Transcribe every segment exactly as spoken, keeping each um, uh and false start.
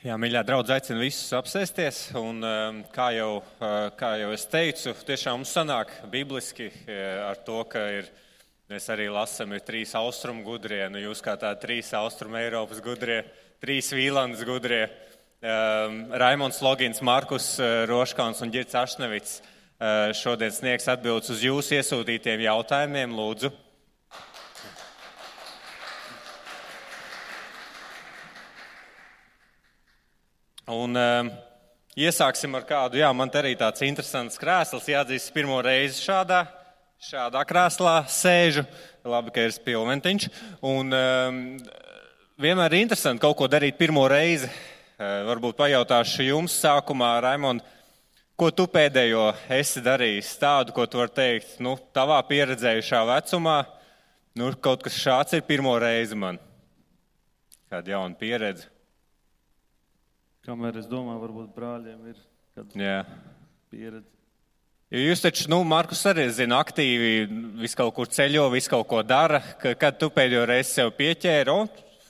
Jā, mīļā draudz, aicinu visus apsēsties, un kā jau, kā jau es teicu, tiešām mums sanāk bibliski ar to, ka ir, mēs arī lasam, ir trīs austrumu gudrie, nu jūs kā tā trīs austrumu Eiropas gudrie, trīs Vīlandes gudrie, Raimonds Logins, Markus Roškauns un Ģirds Ašnevits šodien sniegs atbildes uz jūsu iesūtītiem jautājumiem, lūdzu. Un um, iesāksim ar kādu, jā, man te arī tāds interesants krēsls, jāatzīst, pirmo reizi šādā, šādā krēslā sēžu, labi, ka ir spilventiņš, un um, vienmēr ir interesanti kaut ko darīt pirmo reizi, uh, varbūt pajautāšu jums sākumā, Raimond, ko tu pēdējo esi darījis tādu, ko tu vari teikt, nu, tavā pieredzējušā vecumā, nu, kaut kas šāds ir pirmo reizi man, kāda jauna pieredze. Kamēr es domāju, varbūt brāļiem ir kāda Jā. pieredze. Jo jūs taču, nu, Markus arī zina, aktīvi visu kaut kur ceļo, visu kaut ko dara. Kad tu pēdējo reizi sev pieķēri, o,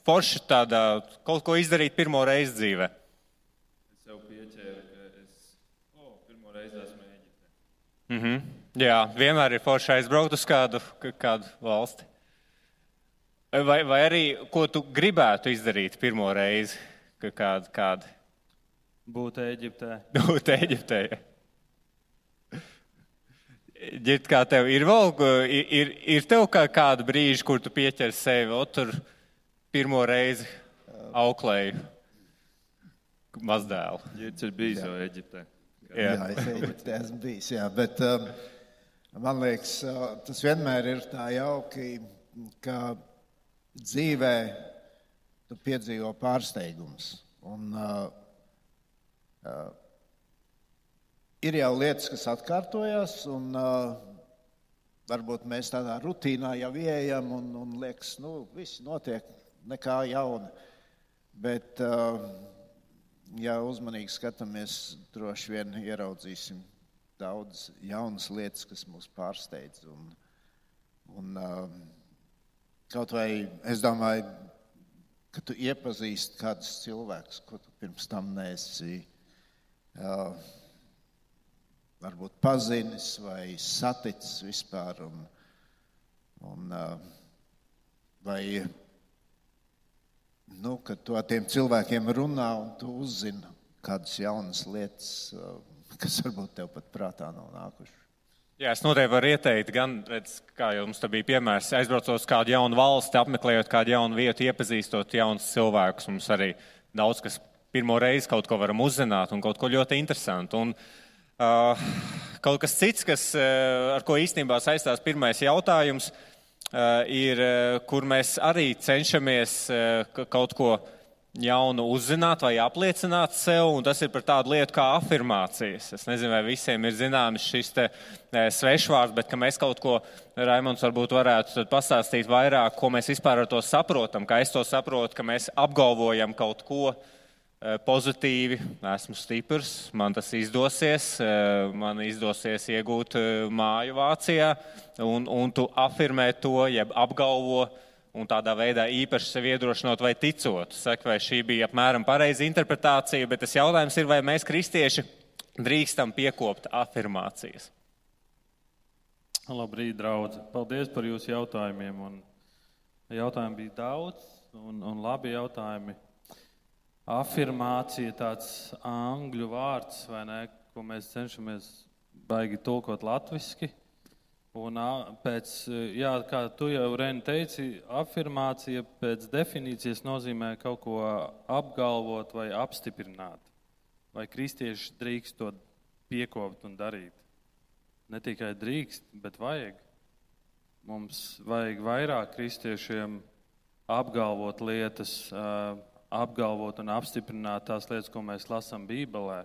forši tādā kaut ko izdarīt pirmo reizi dzīvē? Es sev pieķēru, ka es, o, pirmo reizi esmu Ēģiptē. Mhm. Jā, vienmēr ir forši aizbraukt uz kādu, kādu valsti. Vai, vai arī, ko tu gribētu izdarīt pirmo reizi, kādu, kādu? Būt Ēģiptē. Būt Ēģiptē. Ģirt, kā tev ir vēl, ir, ir tev kā kādu brīži, kur tu pieķer sevi, o tur pirmo reizi auklēju mazdēlu? Ģirts ir bijis jau Ēģiptē. Jā, jā es Ēģiptē esmu bijis, jā, bet um, man liekas, tas vienmēr ir tā jauki, ka dzīvē tu piedzīvo pārsteigums. Un uh, uh, ir jau lietas, kas atkārtojas, un uh, varbūt mēs tādā rutīnā jau ieejam, un, un liekas, nu, viss notiek, nekā jauna. Bet, uh, ja uzmanīgi skatāmies, droši vien ieraudzīsim daudz jaunas lietas, kas mūs pārsteidz. Un, un uh, kaut vai, es domāju, ka tu iepazīsti kādus cilvēkus, ko tu pirms tam neesi uh, varbūt pazinis vai saticis vispār, un, un uh, vai, nu, kad tu ar tiem cilvēkiem runā un tu uzzini kādas jaunas lietas, uh, kas varbūt tev pat prātā nav nākuši. Jā, es noteikti varu ieteikt, gan, redz, kā jau mums te bija piemērs, aizbraucot uz kādu jaunu valsti, apmeklējot kādu jaunu vietu, iepazīstot jaunus cilvēkus. Mums arī daudz, kas pirmo reizi kaut ko varam uzzināt un kaut ko ļoti interesantu. Un uh, kaut kas cits, kas, uh, ar ko īstenībā saistās pirmais jautājums, uh, ir, uh, kur mēs arī cenšamies uh, kaut ko jaunu uzzināt vai apliecināt sev, un tas ir par tādu lietu kā afirmācijas. Es nezinu, vai visiem ir zināms šis te svešvārds, bet ka mēs kaut ko, Raimonds varbūt varētu pastāstīt vairāk, ko mēs vispār ar to saprotam, kā es to saprotu, ka mēs apgalvojam kaut ko pozitīvi, esmu stiprs, man tas izdosies, man izdosies iegūt māju Vācijā, un, un tu afirmē to, jeb apgalvo, un tādā veidā īpaši sevi iedrošinot vai ticot. Saka, vai šī bija apmēram pareiza interpretācija, bet tas jautājums ir, vai mēs kristieši drīkstam piekopt afirmācijas. Labrīt, draudzi. Paldies par jūsu jautājumiem. Un jautājumi bija daudz un, un labi jautājumi. Afirmācija tāds angļu vārds, vai ne, ko mēs cenšamies baigi tulkot latviski. Un pēc, jā, kā tu jau, Reni, teici, afirmācija pēc definīcijas nozīmē kaut ko apgalvot vai apstiprināt. Vai kristieši drīkst to piekopt un darīt? Ne tikai drīkst, bet vajag. Mums vajag vairāk kristiešiem apgalvot lietas, apgalvot un apstiprināt tās lietas, ko mēs lasām Bībelē.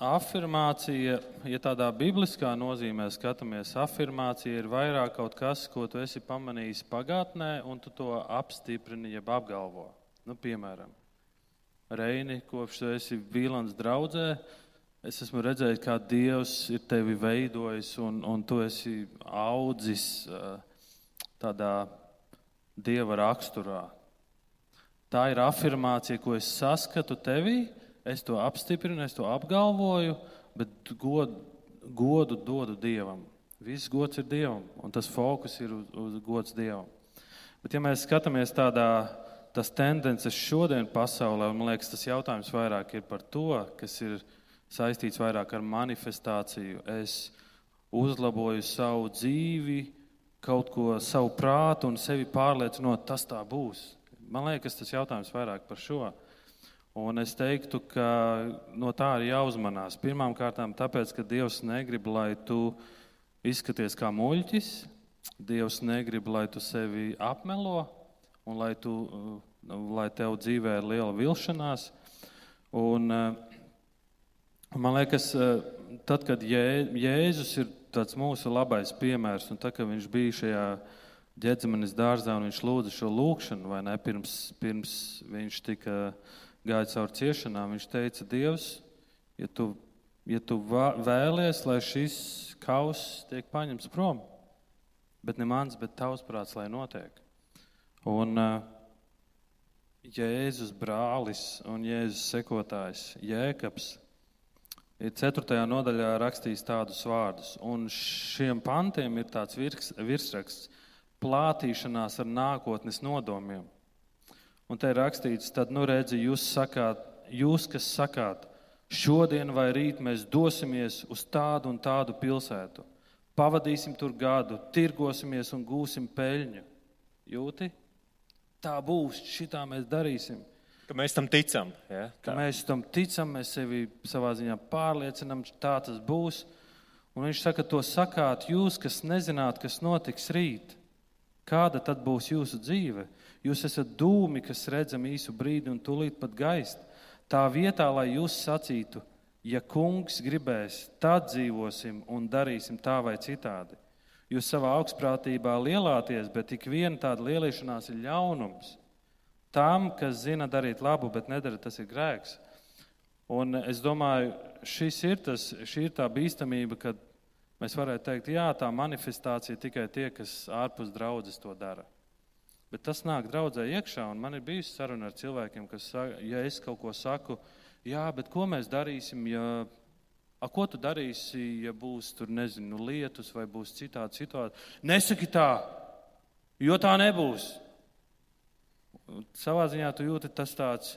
Afirmācija, ja tādā bibliskā nozīmē skatāmies, afirmācija ir vairāk kaut kas, ko tu esi pamanījis pagātnē, un tu to apstiprini, jeb apgalvo. Nu, piemēram, Reini, kopš tu esi Vīlandes draudzē, es esmu redzējis, kā Dievs ir tevi veidojis, un, un tu esi audzis tādā Dieva raksturā. Tā ir afirmācija, ko es saskatu tevī, es to apstiprinu, es to apgalvoju, bet godu, godu dodu Dievam. Viss gods ir Dievam, un tas fokus ir uz, uz gods Dievam. Bet ja mēs skatāmies tādā, tas tendences šodien pasaulē, man liekas, tas jautājums vairāk ir par to, kas ir saistīts vairāk ar manifestāciju. Es uzlaboju savu dzīvi, kaut ko, savu prātu un sevi pārliecinot, tas tā būs. Man liekas, tas jautājums vairāk par šo. Un es teiktu, ka no tā ir jāuzmanās. Pirmām kārtām tāpēc, ka Dievs negrib, lai tu izskaties kā muļķis. Dievs negrib, lai tu sevi apmelo un lai, tu, lai tev dzīvē ir liela vilšanās. Un man liekas, tad, kad Jē, Jēzus ir tāds mūsu labais piemērs, un tad, kad viņš bija šajā Ģedzemanes dārzā un viņš lūdza šo lūkšanu, vai ne, pirms, pirms viņš tika gāja caur ciešanām, viņš teica, Dievs, ja tu, ja tu vēlies, lai šis kauss tiek paņemts prom, bet ne mans, bet tavs prāts, lai notiek. Un uh, Jēzus brālis un Jēzus sekotājs Jēkabs ir ceturtajā nodaļā rakstījis tādus vārdus. Un šiem pantiem ir tāds virs, virsraksts plātīšanās ar nākotnes nodomiem. Un te ir rakstīts, tad nu redzi, jūs sakāt, jūs, kas sakāt, šodien vai rīt mēs dosimies uz tādu un tādu pilsētu. Pavadīsim tur gadu, tirgosimies un gūsim peļņu. Jūti? Tā būs, šitā mēs darīsim. Ka mēs tam ticam. Ja? Ka mēs tam ticam, mēs sevi savā ziņā pārliecinam, tā tas būs. Un viņš saka, to sakāt jūs, kas nezināt, kas notiks rīt. Kāda tad būs jūsu dzīve? Jūs esat dūmi, kas redzam īsu brīdi un tūlīt pat gaist. Tā vietā, lai jūs sacītu, ja kungs gribēs, tad dzīvosim un darīsim tā vai citādi. Jūs savā augstprātībā lielāties, bet ik viena tāda lielīšanās ir ļaunums. Tām, kas zina darīt labu, bet nedara, tas ir grēks. Un es domāju, šis ir tas, šī ir tā bīstamība, kad mēs varētu teikt, jā, tā manifestācija tikai tie, kas ārpus draudzes to dara. Bet tas nāk draudzē iekšā, un man ir bijusi saruna ar cilvēkiem, kas saka, ja es kaut ko saku, jā, bet ko mēs darīsim, ja, a, ko tu darīsi, ja būs tur, nezinu, lietus vai būs citādi situācija? Nesaki tā, jo tā nebūs. Savā ziņā tu jūti tas tāds,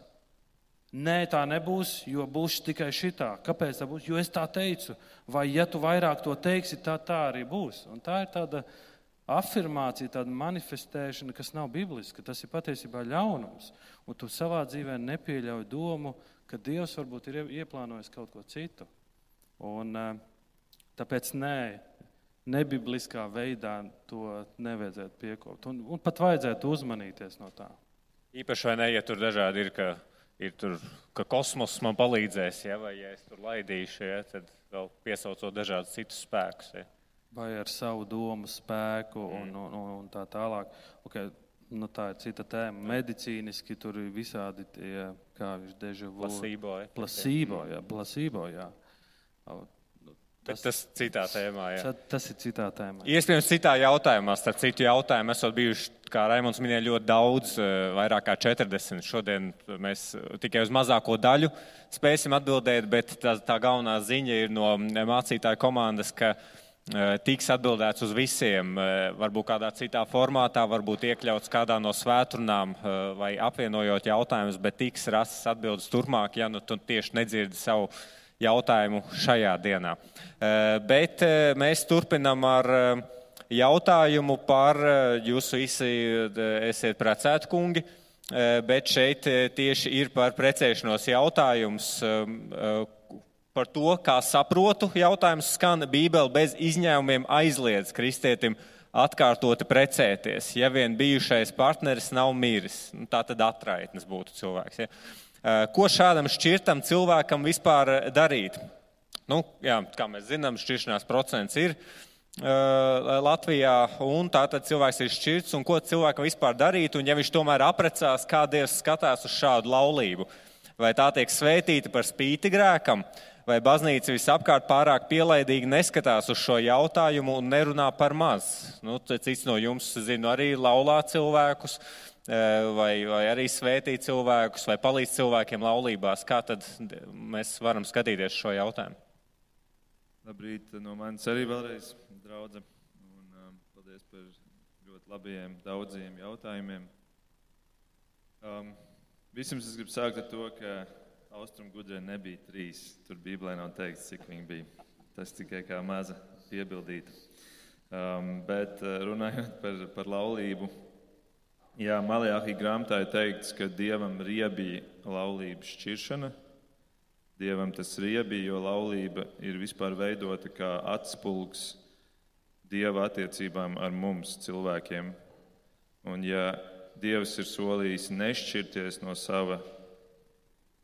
nē, tā nebūs, jo būs tikai šitā. Kāpēc tā būs? Jo es tā teicu. Vai ja tu vairāk to teiksi, tā tā arī būs. Un tā ir tāda afirmācija, tāda manifestēšana, kas nav bibliska. Tas ir patiesībā ļaunums. Un tu savā dzīvē nepieļauj domu, ka Dievs varbūt ir ieplānojis kaut ko citu. Un tāpēc nē, nebibliskā veidā to nevajadzētu piekopt. Un, un pat vajadzētu uzmanīties no tā. Īpaši vai ne, ja tur dažādi ir, ka, ir tur, ka kosmos man palīdzēs, ja, vai ja es tur laidīšu, ja, tad vēl piesaucot dažādus citus spēkus. Ja. Vai ar savu domu spēku un, mm. un, un, un tā tālāk. Okay, nu tā ir cita tēma. Medicīniski tur ir visādi tie, kā viņš deja vu. Placebo. Ja. Placebo, jā. Placebo, jā. Tas, tas citā tēmā, jā. Tas ir citā tēmā. Iespējams, citā jautājumā, starp citu jautājumu, esot bijuši, kā Raimonds minēja, ļoti daudz, vairāk kā četrdesmit. Šodien mēs tikai uz mazāko daļu spēsim atbildēt, bet tā, tā galvenā ziņa ir no mācītāju komandas, ka tiks atbildēts uz visiem, varbūt kādā citā formātā, varbūt iekļauts kādā no svēturnām vai apvienojot jautājumus, bet tiks rastas atbildes turpmāk, ja nu tu tieši nedzirdi savu jautājumu šajā dienā. Bet mēs turpinam ar jautājumu par, jūs visi esiet precēti kungi, bet šeit tieši ir par precēšanos jautājums, par to, kā saprotu jautājums skan, Bībele bez izņēmumiem aizliedz kristietim atkārtoti precēties, ja vien bijušais partneris nav miris. Tā tad atraitnes būtu cilvēks, ja. Ko šādam šķirtam cilvēkam vispār darīt? Nu, jā, kā mēs zinām, šķiršanās procents ir uh, Latvijā, un tātad cilvēks ir šķirts, un ko cilvēkam vispār darīt, un ja viņš tomēr aprecās, kā Dievs skatās uz šādu laulību? Vai tā tiek svētīta par spīti grēkam, vai baznīca visapkārt pārāk pielaidīgi neskatās uz šo jautājumu un nerunā par maz? Nu, cits no jums, zinu, arī laulā cilvēkus, vai, vai arī svētī cilvēkus, vai palīdz cilvēkiem laulībās. Kā tad mēs varam skatīties šo jautājumu? Labrīt, no manis arī vēlreiz, draudze, un um, paldies par ļoti labiem, daudziem jautājumiem. Um, Vispirms es gribu sākt ar to, ka Austrumu gudrē nebija trīs. Tur Bībelē nav teikts, cik viņi bija. Tas tikai kā maza piebildīta. Um, bet runājot par, par laulību, jā, Malajāhī grāmatā ir teikts, ka Dievam riebīja laulības šķiršana. Dievam tas riebīja, jo laulība ir vispār veidota kā atspulgs Dieva attiecībām ar mums, cilvēkiem. Un ja Dievs ir solījis nešķirties no, sava,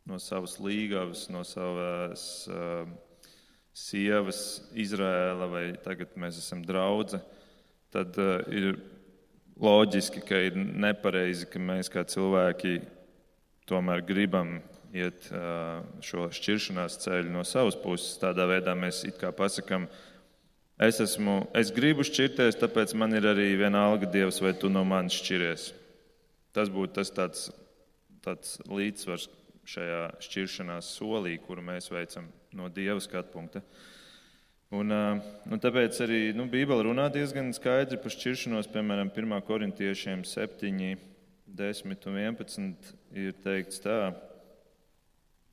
no savas līgavas, no savas uh, sievas Izraēla, vai tagad mēs esam draudze, tad uh, ir loģiski, ka ir nepareizi, ka mēs kā cilvēki tomēr gribam iet uh, šo šķiršanās ceļu no savas puses. Tādā veidā mēs it kā pasakam, es, esmu, es gribu šķirties, tāpēc man ir arī vienalga Dievs, vai tu no manis šķiries. Tas būtu tas tāds, tāds līdzsvars šajā šķiršanās solī, kuru mēs veicam no Dieva skatu punkta. Un, un tāpēc arī nu, Bībele runā diezgan skaidri par šķiršanos, piemēram, pirmā korintiešiem septiņi, desmit un vienpadsmit ir teikts tā: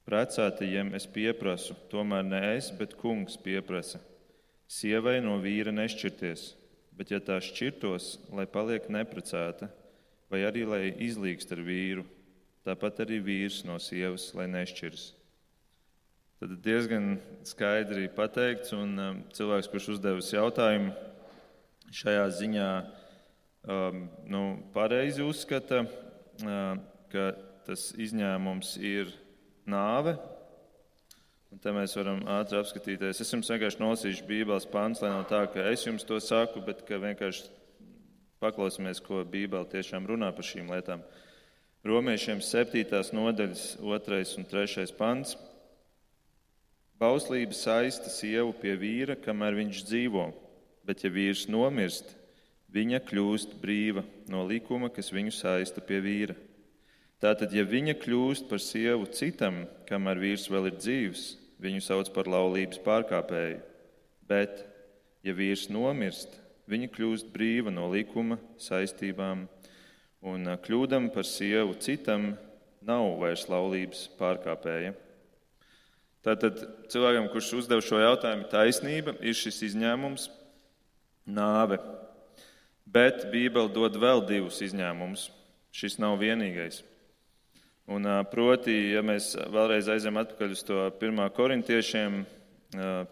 precētajiem es pieprasu, tomēr ne es, bet kungs pieprasa. Sievai no vīra nešķirties, bet ja tā šķirtos, lai paliek neprecēta, vai arī lai izlīgst ar vīru, tāpat arī vīrs no sievas, lai nešķiras. Tad diezgan skaidri pateikts, un um, cilvēks, kurš uzdevis jautājumu, šajā ziņā um, nu, pareizi uzskata, uh, ka tas izņēmums ir nāve. Un te mēs varam ātri apskatīties. Es jums vienkārši nolasīšu Bībeles pants, lai nav tā, ka es jums to saku, bet ka vienkārši paklausīsimies, ko Bībele tiešām runā par šīm lietām. Romiešiem septītās nodaļas otrais un trešais pants. Bauslība saista sievu pie vīra, kamēr viņš dzīvo, bet ja vīrs nomirst, viņa kļūst brīva no likuma, kas viņu saista pie vīra. Tātad, ja viņa kļūst par sievu citam, kamēr vīrs vēl ir dzīvs, viņu sauc par laulības pārkāpēju. Bet, ja vīrs nomirst, viņa kļūst brīva no likuma saistībām, un kļūdam par sievu citam nav vairs laulības pārkāpēja. Tātad cilvēkam, kurš uzdev šo jautājumu, taisnība ir šis izņēmums nāve. Bet Bībele dod vēl divus izņēmumus. Šis nav vienīgais. Un proti, ja mēs vēlreiz aizējam atpakaļ uz to pirmā korintiešiem,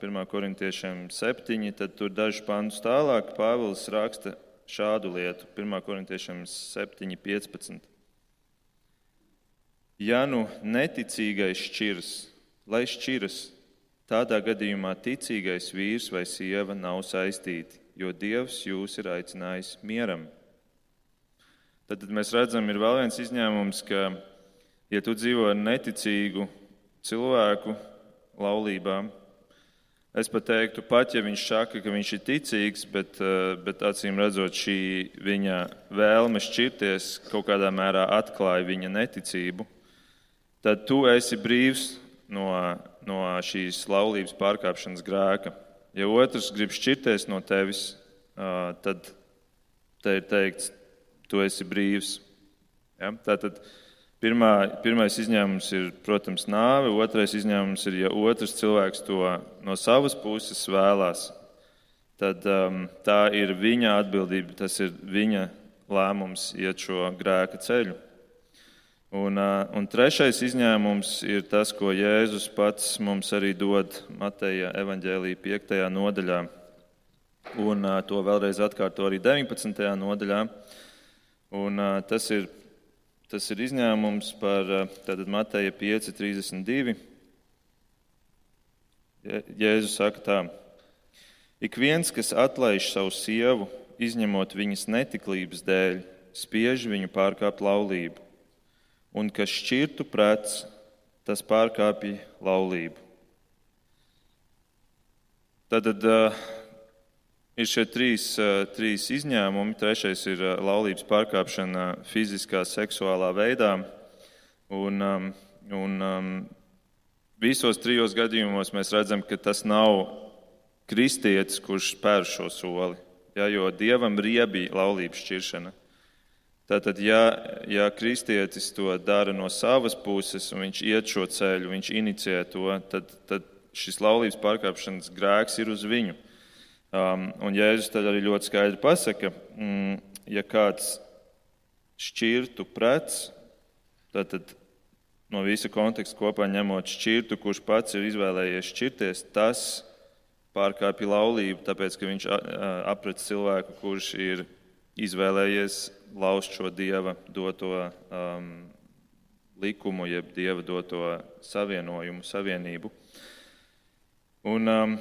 pirmā korintiešiem septiņi, tad tur dažus pantus tālāk Pāvils raksta šādu lietu. pirmā korintiešiem septiņi, piecpadsmit. Ja nu neticīgais šķirs, lai šķiras, tādā gadījumā ticīgais vīrs vai sieva nav saistīti, jo Dievs jūs ir aicinājis mieram. Tad mēs redzam, ir vēl viens izņēmums, ka, ja tu dzīvo ar neticīgu cilvēku laulībā, es pat teiktu, pat ja viņš saka, ka viņš ir ticīgs, bet, bet acīm redzot šī viņa vēlme šķirties kaut kādā mērā atklāja viņa neticību, tad tu esi brīvs no, no šīs laulības pārkāpšanas grēka. Ja otrs grib šķirties no tevis, tad te ir teikts, tu esi brīvs. Ja? Tātad pirmā, pirmais izņēmums ir, protams, nāve, otrais izņēmums ir, ja otrs cilvēks to no savas puses vēlās, tad um, tā ir viņa atbildība, tas ir viņa lēmums iet šo grēka ceļu. Un, un trešais izņēmums ir tas, ko Jēzus pats mums arī dod Mateja evaņģēlija piektajā nodaļā. Un to vēlreiz atkārto arī deviņpadsmitajā nodaļā. Un tas ir, tas ir izņēmums par tātad Mateja pieci, trīsdesmit divi. Jēzus saka tā: ik viens, kas atlaiž savu sievu, izņemot viņas netiklības dēļ, spiež viņu pārkāpt laulību. Un kas šķirtu prets, tas pārkāpja laulību. Tātad Ir šie trīs, trīs izņēmumi. Trešais ir laulības pārkāpšana fiziskā, seksuālā veidā. Un, un visos trijos gadījumos mēs redzam, ka tas nav kristietis, kurš spēr šo soli. Ja, jo Dievam riebi laulības šķiršana. Tātad, ja, ja kristietis to dara no savas puses un viņš iet šo ceļu, viņš inicijē to, tad, tad šis laulības pārkāpšanas grēks ir uz viņu. Um, un Jēzus tad arī ļoti skaidri pasaka, mm, ja kāds šķirtu prec, tad, tad no visa konteksta kopā ņemot šķirtu, kurš pats ir izvēlējies šķirties, tas pārkāpja laulību, tāpēc, ka viņš aprec cilvēku, kurš ir izvēlējies laust šo Dieva doto um, likumu, jeb Dieva doto savienojumu, savienību. Un um,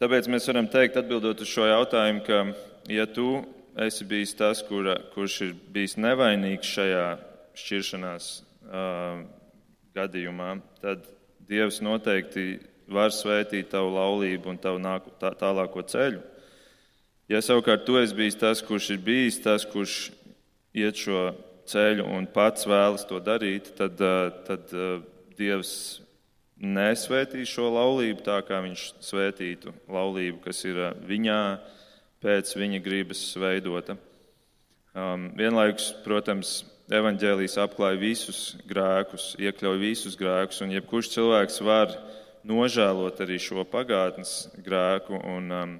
tāpēc mēs varam teikt, atbildot uz šo jautājumu, ka, ja tu esi bijis tas, kura, kurš ir bijis nevainīgs šajā šķiršanās uh, gadījumā, tad Dievs noteikti var svētīt tavu laulību un tavu nāku, tā, tālāko ceļu. Ja savukārt tu esi bijis tas, kurš ir bijis tas, kurš iet šo ceļu un pats vēlas to darīt, tad, uh, tad uh, Dievs nesvētīs šo laulību tā, kā viņš svētītu laulību, kas ir viņā pēc viņa gribas veidota. Um, vienlaikus, protams, evaņģēlijs apklāja visus grēkus, iekļauj visus grēkus, un jebkurš cilvēks var nožēlot arī šo pagātnes grēku un um,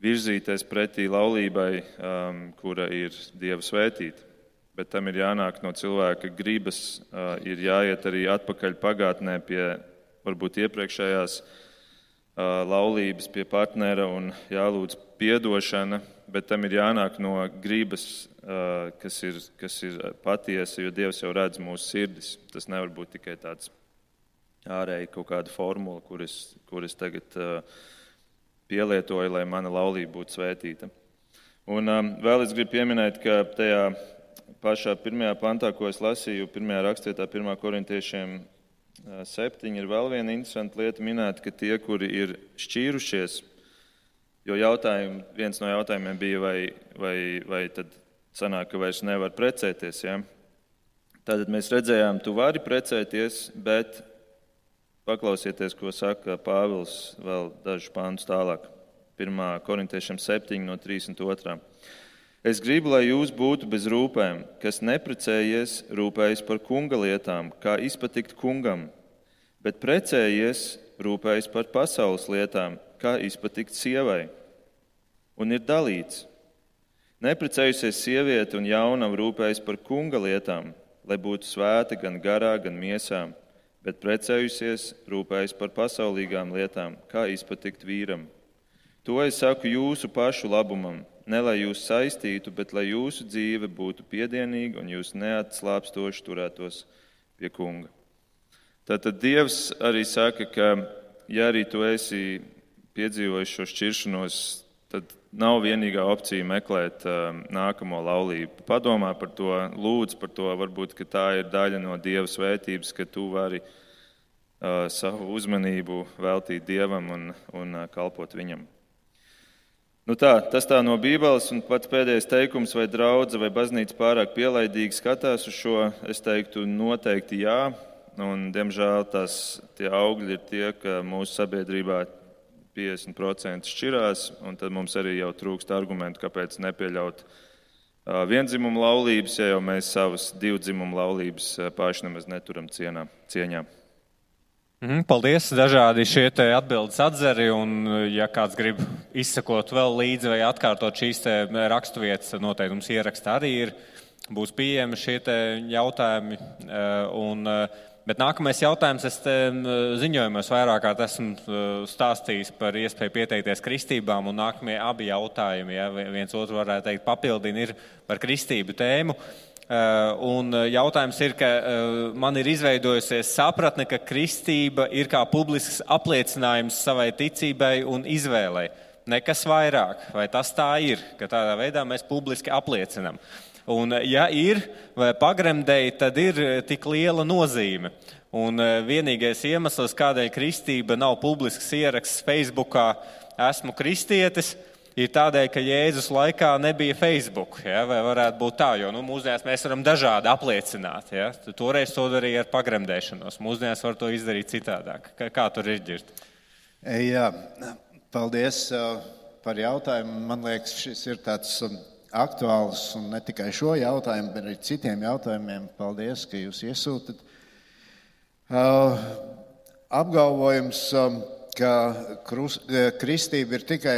virzīties pretī laulībai, um, kura ir Dieva svētīta. Bet tam ir jānāk no cilvēka gribas, uh, ir jāiet arī atpakaļ pagātnē pie varbūt iepriekšējās uh, laulības, pie partnera un jālūdz piedošana, bet tam ir jānāk no gribas, uh, kas ir, kas ir patiesa, jo Dievs jau redz mūsu sirdis. Tas nevar būt tikai tāds ārēji kaut kāda formula, kur es, kur es tagad uh, pielietoju, lai mana laulība būtu svētīta. Un um, vēl es gribu pieminēt, ka tajā pašā pirmajā pantā, ko es lasīju, pirmajā rakstvietā, pirmā korintiešiem septiņi, ir vēl viena interesanta lieta minēta, ka tie, kuri ir šķīrušies, jo jautājumi, viens no jautājumiem bija, vai, vai, vai tad sanāk, ka vairs nevar precēties. Ja? Tātad mēs redzējām, tu vari precēties, bet paklausieties, ko saka Pāvils vēl dažus pantus tālāk. pirmā korintiešiem septiņi no trīsdesmit otrā. Es gribu, lai jūs būtu bez rūpēm, kas neprecējies, rūpējas par kunga lietām, kā izpatikt kungam, bet precējies, rūpējas par pasaules lietām, kā izpatikt sievai. Un ir dalīts. Neprecējusies sieviete un jaunam rūpējas par kunga lietām, lai būtu svēta gan garā, gan miesām, bet precējusies, rūpējas par pasaulīgām lietām, kā izpatikt vīram. To es saku jūsu pašu labumam. Ne lai jūs saistītu, bet lai jūsu dzīve būtu piedienīga un jūs neatslāpstoši turētos pie kunga. Tātad Dievs arī saka, ka ja arī tu esi piedzīvojis šo šķiršanos, tad nav vienīgā opcija meklēt uh, nākamo laulību. Padomā par to, lūdz par to, varbūt, ka tā ir daļa no Dieva svētības, ka tu vari uh, savu uzmanību veltīt Dievam un, un uh, kalpot viņam. Nu tā, tas tā no Bībeles, un pats pēdējais teikums, vai draudze vai baznīca pārāk pielaidīgi skatās uz šo, es teiktu noteikti jā, un diemžēl tās tie augļi ir tie, ka mūsu sabiedrībā piecdesmit procenti šķirās, un tad mums arī jau trūkst argumentu, kāpēc nepieļaut uh, viendzimumu laulības, ja jau mēs savas divdzimumu laulības uh, paši nemaz neturam cienā, cieņā. Paldies, dažādi šie te atbildes atzari, un ja kāds grib izsakot vēl līdzi vai atkārtot šīs te raksturvietas, noteikti mums ieraksta arī ir, būs pieejami šie te jautājumi. Un, bet nākamais jautājums, es te ziņojumos vairāk kārt esmu stāstījis par iespēju pieteikties kristībām, un nākamie abi jautājumi, ja viens otru varētu teikt papildina, ir par kristību tēmu. Un jautājums ir, ka man ir izveidojusies sapratne, ka kristība ir kā publisks apliecinājums savai ticībai un izvēlei. Nekas vairāk, vai tas tā ir, ka tādā veidā mēs publiski apliecinam. Un ja ir, vai pagremdēji, tad ir tik liela nozīme. Un vienīgais iemesls, kādēļ kristība nav publisks ieraksts Facebookā, esmu kristietis, ir tādēļ, ka Jēzus laikā nebija Facebook, ja? Vai varētu būt tā, jo nu, mūsdienās mēs varam dažādi apliecināt. Ja? Toreiz to darīja ar pagremdēšanos, mūsdienās var to izdarīt citādāk. Kā, kā tur ir ģirt? Jā, paldies par jautājumu. Man liekas, šis ir tāds aktuāls un ne tikai šo jautājumu, bet arī citiem jautājumiem. Paldies, ka jūs iesūtat. Uh, apgalvojums, um, ka krus, kristība ir tikai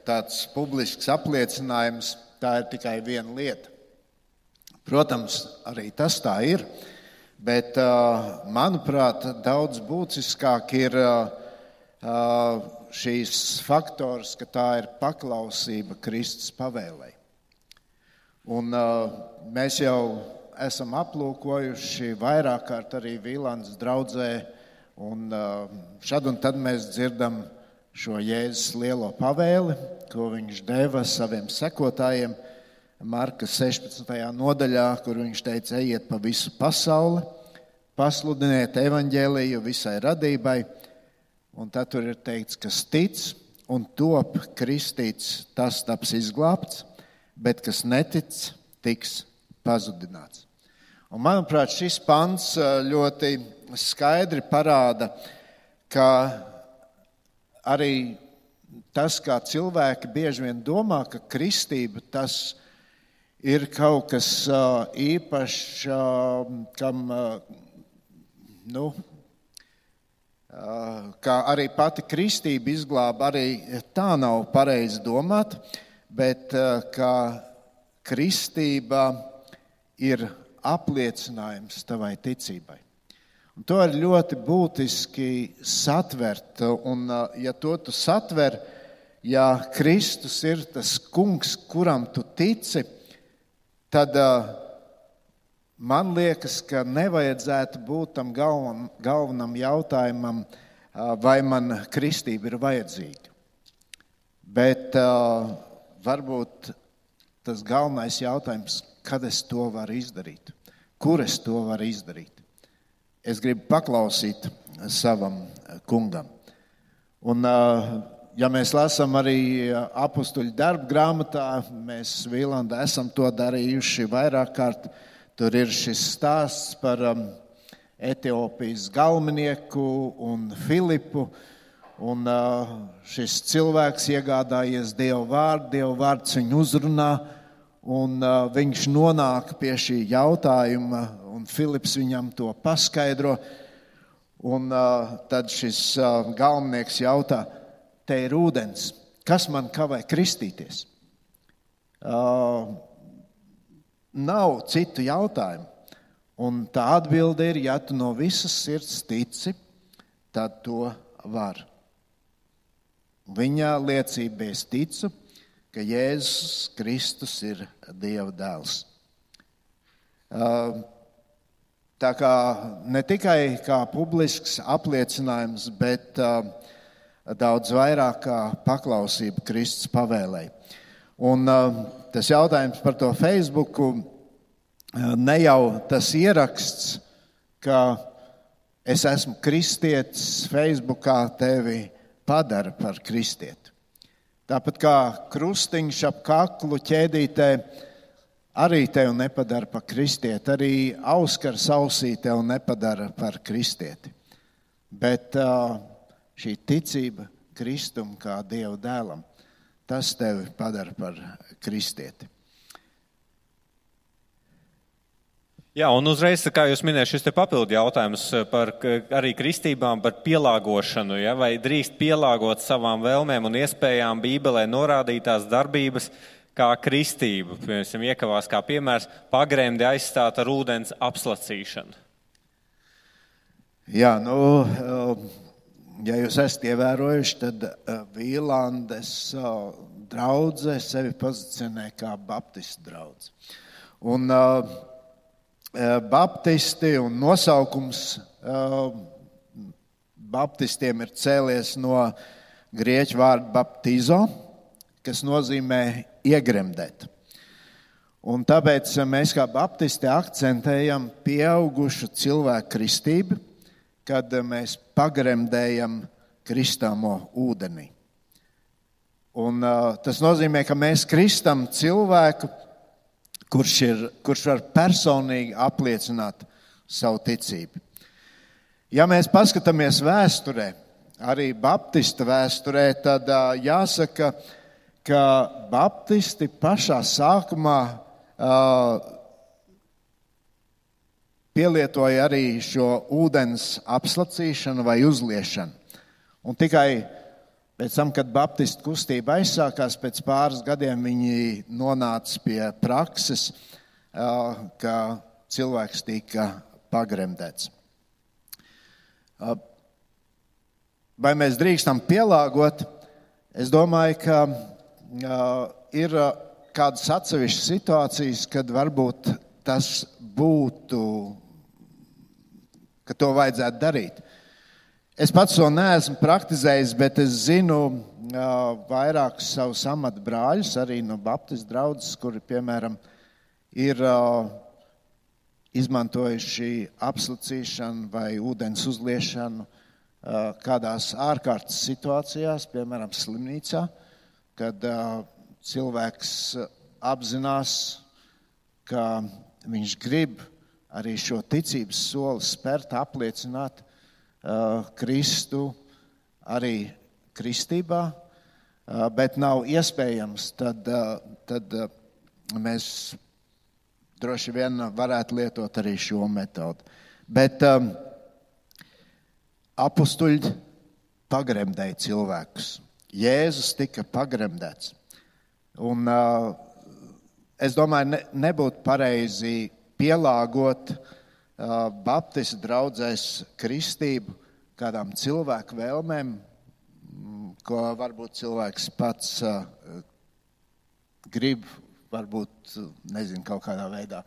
tāds publisks apliecinājums, tā ir tikai viena lieta. Protams, arī tas tā ir, bet, uh, manuprāt, daudz būtiskāk ir uh, šīs faktors, ka tā ir paklausība Kristus pavēlei. Un uh, mēs jau esam aplūkojuši vairāk kārt arī Vīlandes draudzē, un šad un tad mēs dzirdam šo Jēzus lielo pavēli, ko viņš deva saviem sekotājiem Marka sešpadsmitajā nodaļā, kur viņš teica, ejiet pa visu pasauli, pasludiniet evaņģēliju visai radībai, un tad tur ir teikts, kas tic un top kristīts, tas taps izglābts, bet kas netic, tiks pazudināts. Un, manuprāt, šis pants ļoti skaidri parāda, ka arī tas, kā cilvēki bieži vien domā, ka kristība tas ir kaut kas īpašs, kam, nu, kā arī pati kristība izglāba, arī tā nav pareizi domāt, bet ka kristība ir apliecinājums tavai ticībai. Un to ir ļoti būtiski satvert, un ja to tu satver, ja Kristus ir tas kungs, kuram tu tici, tad man liekas, ka nevajadzētu būt tam galvenam, galvenam jautājumam, vai man kristība ir vajadzīga. Bet varbūt tas galvenais jautājums, kad es to varu izdarīt, kur es to varu izdarīt. Es gribu paklausīt savam kungam. Un, ja mēs lasām arī apustuļu darbu grāmatā, mēs Vīlandā esam to darījuši vairāk kārt. Tur ir šis stāsts par Etiopijas galvenieku un Filipu. Un šis cilvēks iegādājies Dieva vārdu, Dieva vārds viņu uzrunā. Un uh, viņš nonāk pie šī jautājuma, un Filips viņam to paskaidro. Un uh, tad šis uh, galvenieks jautā, te ir ūdens, kas man kavē kristīties? Uh, nav citu jautājumu. Un tā atbilde ir, ja tu no visas sirds tici, tad to var. Viņa liecība es ticu, ka Jēzus Kristus ir Dieva dēls. Tā kā ne tikai kā publisks apliecinājums, bet daudz vairāk kā paklausība Kristus pavēlei. Un tas jautājums par to Facebooku, ne jau tas ieraksts, ka es esmu kristietis, Facebookā tevi padara par kristieti. Tāpat kā krustiņš ap kaklu ķēdītē arī tevi nepadara par kristieti, arī auskars ausī tevi nepadara par kristieti. Bet šī ticība Kristum kā Dieva dēlam, tas tevi padara par kristieti. Jā, un uzreiz, kā jūs minējāt, šis te papildu jautājums par arī kristībām, par pielāgošanu, ja, vai drīkst pielāgot savām vēlmēm un iespējām Bībelē norādītās darbības kā kristību. Piemēram, iekavās kā piemērs pagremdi aizstāt ar ūdens apslacīšanu. Jā, nu, ja jūs esat ievērojuši, tad Vīlandes draudze sevi pozicionē kā baptistu draudze. Un baptisti un nosaukums baptistiem ir cēlies no grieķu vārda baptizo, kas nozīmē iegremdēt. Un tāpēc mēs kā baptisti akcentējam pieaugušu cilvēku kristību, kad mēs pagremdējam kristāmo ūdenī. Un, uh, tas nozīmē, ka mēs kristam cilvēku, kurš, ir, kurš var personīgi apliecināt savu ticību. Ja mēs paskatāmies vēsturē, arī baptista vēsturē, tad uh, jāsaka, ka baptisti pašā sākumā uh, pielietoja arī šo ūdens apslacīšanu vai uzliešanu. Un tikai pēc tam, kad baptistu kustība aizsākās, pēc pāris gadiem viņi nonāca pie prakses, ka cilvēks tika pagremdēts. Vai mēs drīkstam pielāgot? Es domāju, ka ir kādas atsevišķas situācijas, kad varbūt tas būtu, ka to vajadzētu darīt. Es pats to neesmu praktizējis, bet es zinu uh, vairākus savus amatu brāļus, arī no baptistu draudzes, kuri, piemēram, ir uh, izmantojuši apslacīšanu vai ūdens uzliešanu uh, kādās ārkārtas situācijās, piemēram, slimnīcā, kad uh, cilvēks apzinās, ka viņš grib arī šo ticības soli spērt, apliecināt uh, Kristu arī kristībā, uh, bet nav iespējams, tad, uh, tad uh, mēs droši vien varētu lietot arī šo metodu. Bet um, apustuļi pagremdēja cilvēkus. Jēzus tika pagremdēts. Un uh, es domāju, ne, nebūtu pareizi pielāgot uh, baptistu draudzēs kristību kādām cilvēku vēlmēm, ko varbūt cilvēks pats uh, grib, varbūt, nezinu, kaut kādā veidā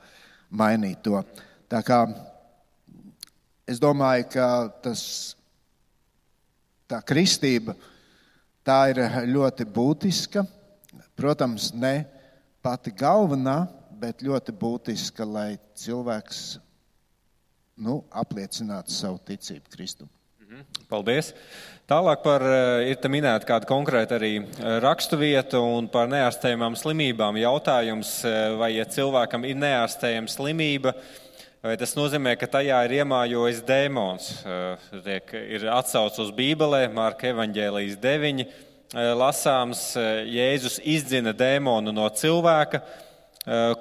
mainīt to. Tā kā es domāju, ka tas, tā kristība, tā ir ļoti būtiska. Protams, ne pati galvenā, bet ļoti būtiska, lai cilvēks nu, apliecinātu savu ticību Kristum. Paldies. Tālāk par, ir te minēta kāda konkrēta arī rakstuvieta un par neārstējumām slimībām. Jautājums, vai ja cilvēkam ir neārstējama slimība, vai tas nozīmē, ka tajā ir iemājojis dēmons. Ir atsauce uz Bībelē, Marka evaņģēlijas deviņi. Lasāms, Jēzus izdzina dēmonu no cilvēka,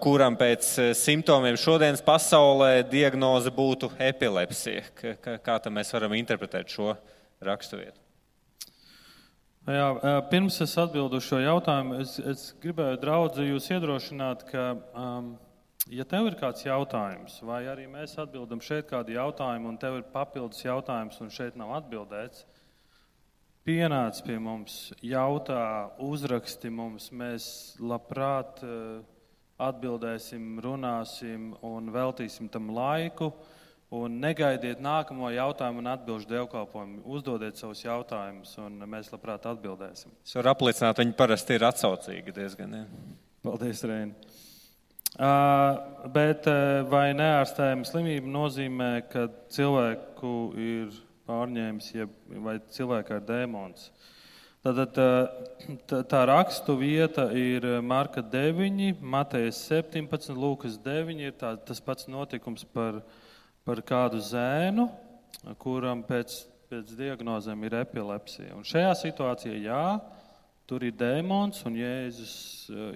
kuram pēc simptomiem šodienas pasaulē diagnoze būtu epilepsija. Kā tad mēs varam interpretēt šo raksturvietu? Jā, pirms es atbildu šo jautājumu, es, es gribēju, draudzi, jūs iedrošināt, ka, um, ja tev ir kāds jautājums, vai arī mēs atbildam šeit kādu jautājumu, un tev ir papildus jautājums, un šeit nav atbildēts, pienāc pie mums, jautā, uzraksti mums, mēs labprāt atbildēsim, runāsim un veltīsim tam laiku, un negaidiet nākamo jautājumu un atbilžu dievkalpojumu. Uzdodiet savus jautājumus, un mēs labprāt atbildēsim. Es varu apliecināt, viņi parasti ir atsaucīgi diezgan. Ja? Paldies, Reini. Uh, bet uh, vai neārstējama slimība nozīmē, ka cilvēku ir pārņēmis, ja, vai cilvēkā ir dēmons? Tātad tā, tā rakstu vieta ir Marka deviņi, Matejas septiņpadsmit, Lūkas deviņi, ir tā, tas pats notikums par, par kādu zēnu, kuram pēc, pēc diagnozēm ir epilepsija. Un šajā situācijā, jā, tur ir dēmons, un Jēzus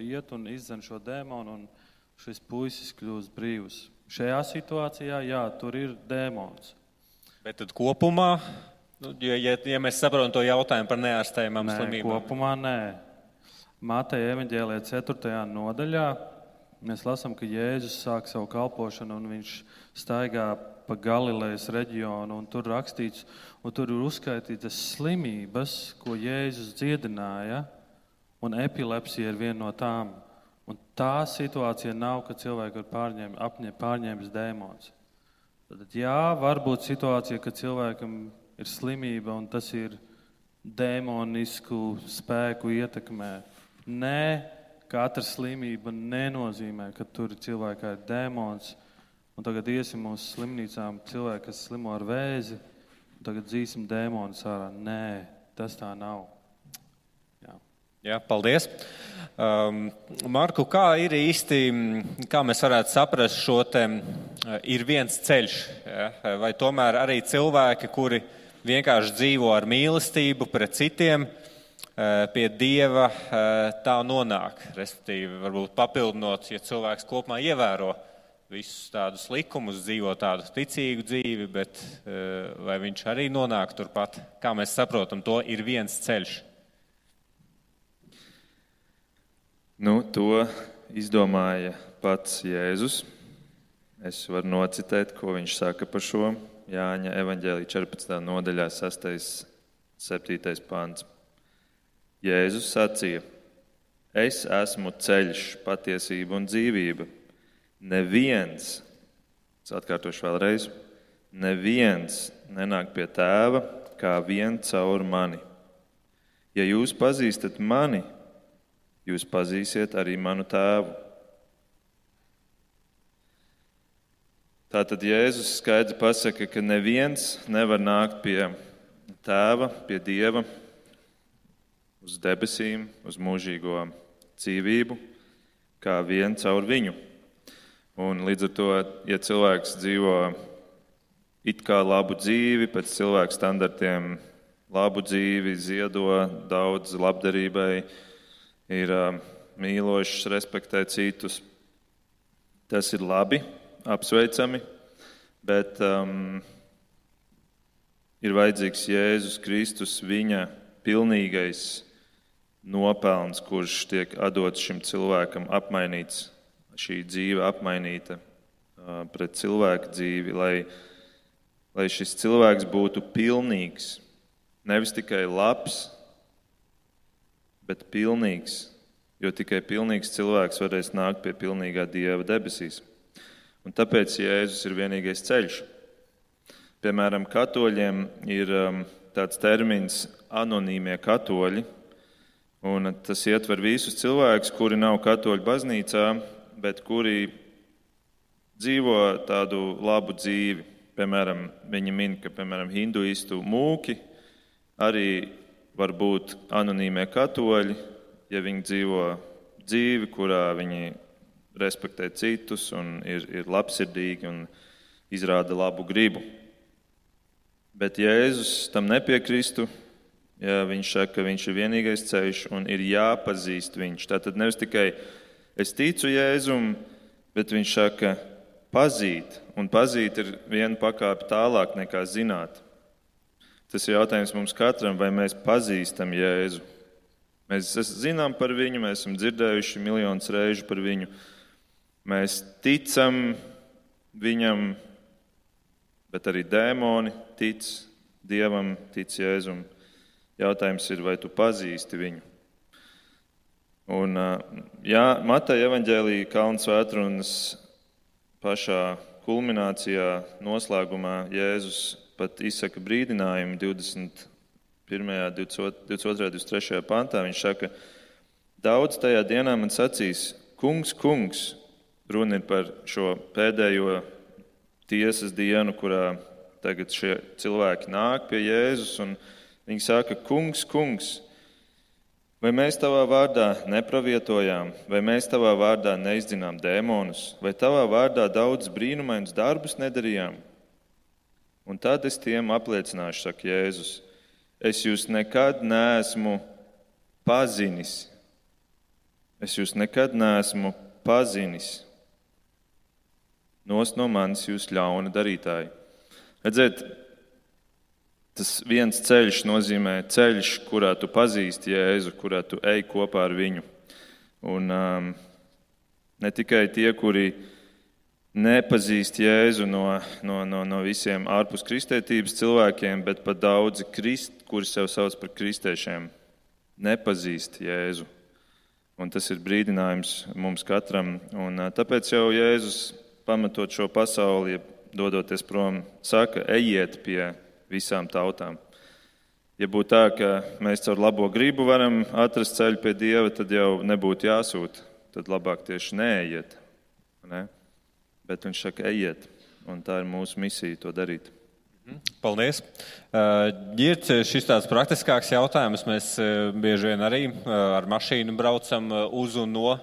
iet un izdzen šo dēmonu, un šis puisis kļūst brīvs. Šajā situācijā, jā, tur ir dēmons. Bet tad kopumā, nu, ja, ja, ja mēs saprotam to jautājumu par neārstējumām nē, slimībām. Kopumā nē. Mateja evaņģēlijā ceturtajā nodaļā mēs lasām, ka Jēzus sāk savu kalpošanu un viņš staigā pa Galilejas reģionu, un tur rakstīts, un tur ir uzskaitītas slimības, ko Jēzus dziedināja, un epilepsija ir viena no tām. Un tā situācija nav, ka cilvēki ir pārņēm, apņem, pārņēmis dēmons. Tad jā, var būt situācija, ka cilvēkam ir slimība, un tas ir demonisku spēku ietekmē. Nē, katra slimība nenozīmē, ka tur cilvēkā ir dēmons. Un tagad iesim uz slimnīcām cilvēki, kas slimo ar vēzi, tagad dzīsim dēmonus ārā. Nē, tas tā nav. Jā, Jā, paldies. Um, Marku, kā ir īsti, kā mēs varētu saprast šo te, ir viens ceļš, ja? Vai tomēr arī cilvēki, kuri vienkārši dzīvo ar mīlestību pret citiem, pie Dieva tā nonāk, respektīvi varbūt papildinot, ja cilvēks kopumā ievēro visus tādus likumus, dzīvo tādu ticīgu dzīvi, bet vai viņš arī nonāk turpat, kā mēs saprotam, to ir viens ceļš. Nu, to izdomāja pats Jēzus. Es varu nocitēt, ko viņš saka par šo. Jāņa evaņģēlija četrpadsmitajā nodaļā sastais, septītais pants. Jēzus sacīja: Es esmu ceļš, patiesība un dzīvība. Neviens, es atkārtošu vēlreiz, neviens nenāk pie Tēva kā vien caur mani. Ja jūs pazīstat mani, jūs pazīsiet arī manu Tēvu. Tātad Jēzus skaidri pasaka, ka neviens nevar nākt pie Tēva, pie Dieva, uz debesīm, uz mūžīgo dzīvību, kā vien caur viņu. Un līdz ar to, ja cilvēks dzīvo it kā labu dzīvi, pēc cilvēku standartiem labu dzīvi, ziedo daudz labdarībai, ir mīlošs, respektē citus, tas ir labi, apsveicami, bet um, ir vajadzīgs Jēzus Kristus, viņa pilnīgais nopelns, kurš tiek atdots šim cilvēkam, apmainīts, šī dzīve apmainīta uh, pret cilvēku dzīvi, lai, lai šis cilvēks būtu pilnīgs, nevis tikai labs, bet pilnīgs, jo tikai pilnīgs cilvēks varēs nākt pie pilnīgā Dieva debesīs. Un tāpēc Jēzus ir vienīgais ceļš. Piemēram, katoļiem ir um, tāds termins anonīmie katoļi, un tas ietver visus cilvēkus, kuri nav katoļu baznīcā, bet kuri dzīvo tādu labu dzīvi. Piemēram, viņi min, ka piemēram, hinduistu mūki arī var būt anonīmie katoļi, ja viņi dzīvo dzīvi, kurā viņi respektē citus un ir, ir labsirdīgi un izrāda labu gribu. Bet Jēzus tam nepiekristu, ja viņš saka, ka viņš ir vienīgais ceļš un ir jāpazīst viņš. Tātad nevis tikai es ticu Jēzum, bet viņš saka pazīt, un pazīt ir viena pakāpe tālāk nekā zināt. Tas ir jautājums mums katram, vai mēs pazīstam Jēzu. Mēs zinām par viņu, mēs esam dzirdējuši miljonus reižu par viņu. Mēs ticam viņam, bet arī dēmoni tic Dievam, tic Jēzum. Jautājums ir, vai tu pazīsti viņu. Un, jā, Mateja evaņģēlija Kalnu svētrunas pašā kulminācijā, noslēgumā Jēzus pat izsaka brīdinājumu divdesmit pirmajā, divdesmit otrajā, divdesmit trešajā pantā. Viņš saka, daudz tajā dienā man sacīs, kungs, kungs, runa ir par šo pēdējo tiesas dienu, kurā tagad šie cilvēki nāk pie Jēzus, un viņi saka, kungs, kungs, vai mēs tavā vārdā nepravietojām, vai mēs tavā vārdā neizdzinām dēmonus, vai tavā vārdā daudz brīnumainus darbus nedarījām? Un tad es tiem apliecināšu, saka Jēzus, es jūs nekad neesmu pazinis. Es jūs nekad neesmu pazinis. Nost no manis jūs ļauna darītāji. Redziet, tas viens ceļš nozīmē ceļš, kurā tu pazīsti Jēzu, kurā tu ej kopā ar viņu. Un um, ne tikai tie, kuri nepazīst Jēzu no, no, no, no visiem ārpus kristietības cilvēkiem, bet pat daudzi, krist, kuri sev sauc par kristiešiem, nepazīst Jēzu. Un tas ir brīdinājums mums katram. Un uh, tāpēc jau Jēzus, pamatot šo pasauli, dodoties prom, saka, ejiet pie visām tautām. Ja būtu tā, ka mēs caur labo gribu varam atrast ceļu pie Dieva, tad jau nebūtu jāsūta. Tad labāk tieši neejiet. Ne? Bet viņš saka, ejiet. Un tā ir mūsu misija to darīt. Paldies. Ir šis tāds praktiskāks jautājums. Mēs bieži vien arī ar mašīnu braucam uz un no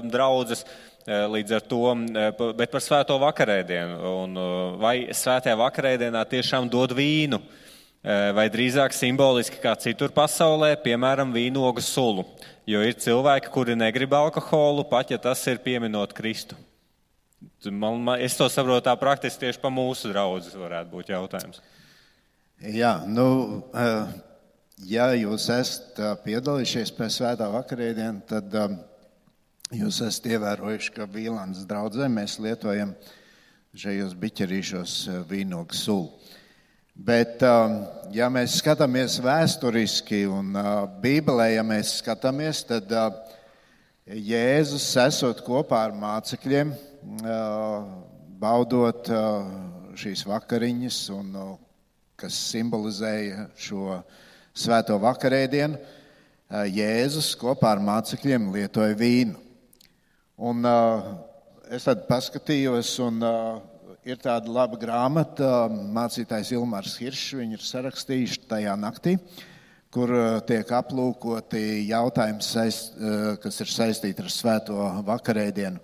draudzes. Līdz ar to, bet par svēto vakarēdienu. Un vai svētajā vakarēdienā tiešām dod vīnu, vai drīzāk simboliski kā citur pasaulē, piemēram, vīnogu sulu. Jo ir cilvēki, kuri negrib alkoholu, pat ja tas ir pieminot Kristu. Man, man, es to saprotu tā praktiski tieši pa mūsu draudzes varētu būt jautājums. Jā, nu, ja jūs esat piedalījušies pēc svētā vakarēdienu, tad jūs esat ievērojuši, ka Vīlandes draudzē mēs lietojam šajos biķerīšos vīnogu sulu. Bet, ja mēs skatāmies vēsturiski un Bībelē, ja mēs skatāmies, tad Jēzus esot kopā ar mācekļiem, baudot šīs vakariņas, un, kas simbolizēja šo svēto vakarēdienu, Jēzus kopā ar mācekļiem lietoja vīnu. Un es tad paskatījos, un ir tāda laba grāmata, mācītājs Ilmārs Hiršs, viņi ir sarakstījuši tajā naktī, kur tiek aplūkoti jautājumi, saist, kas ir saistīti ar svēto vakarēdienu.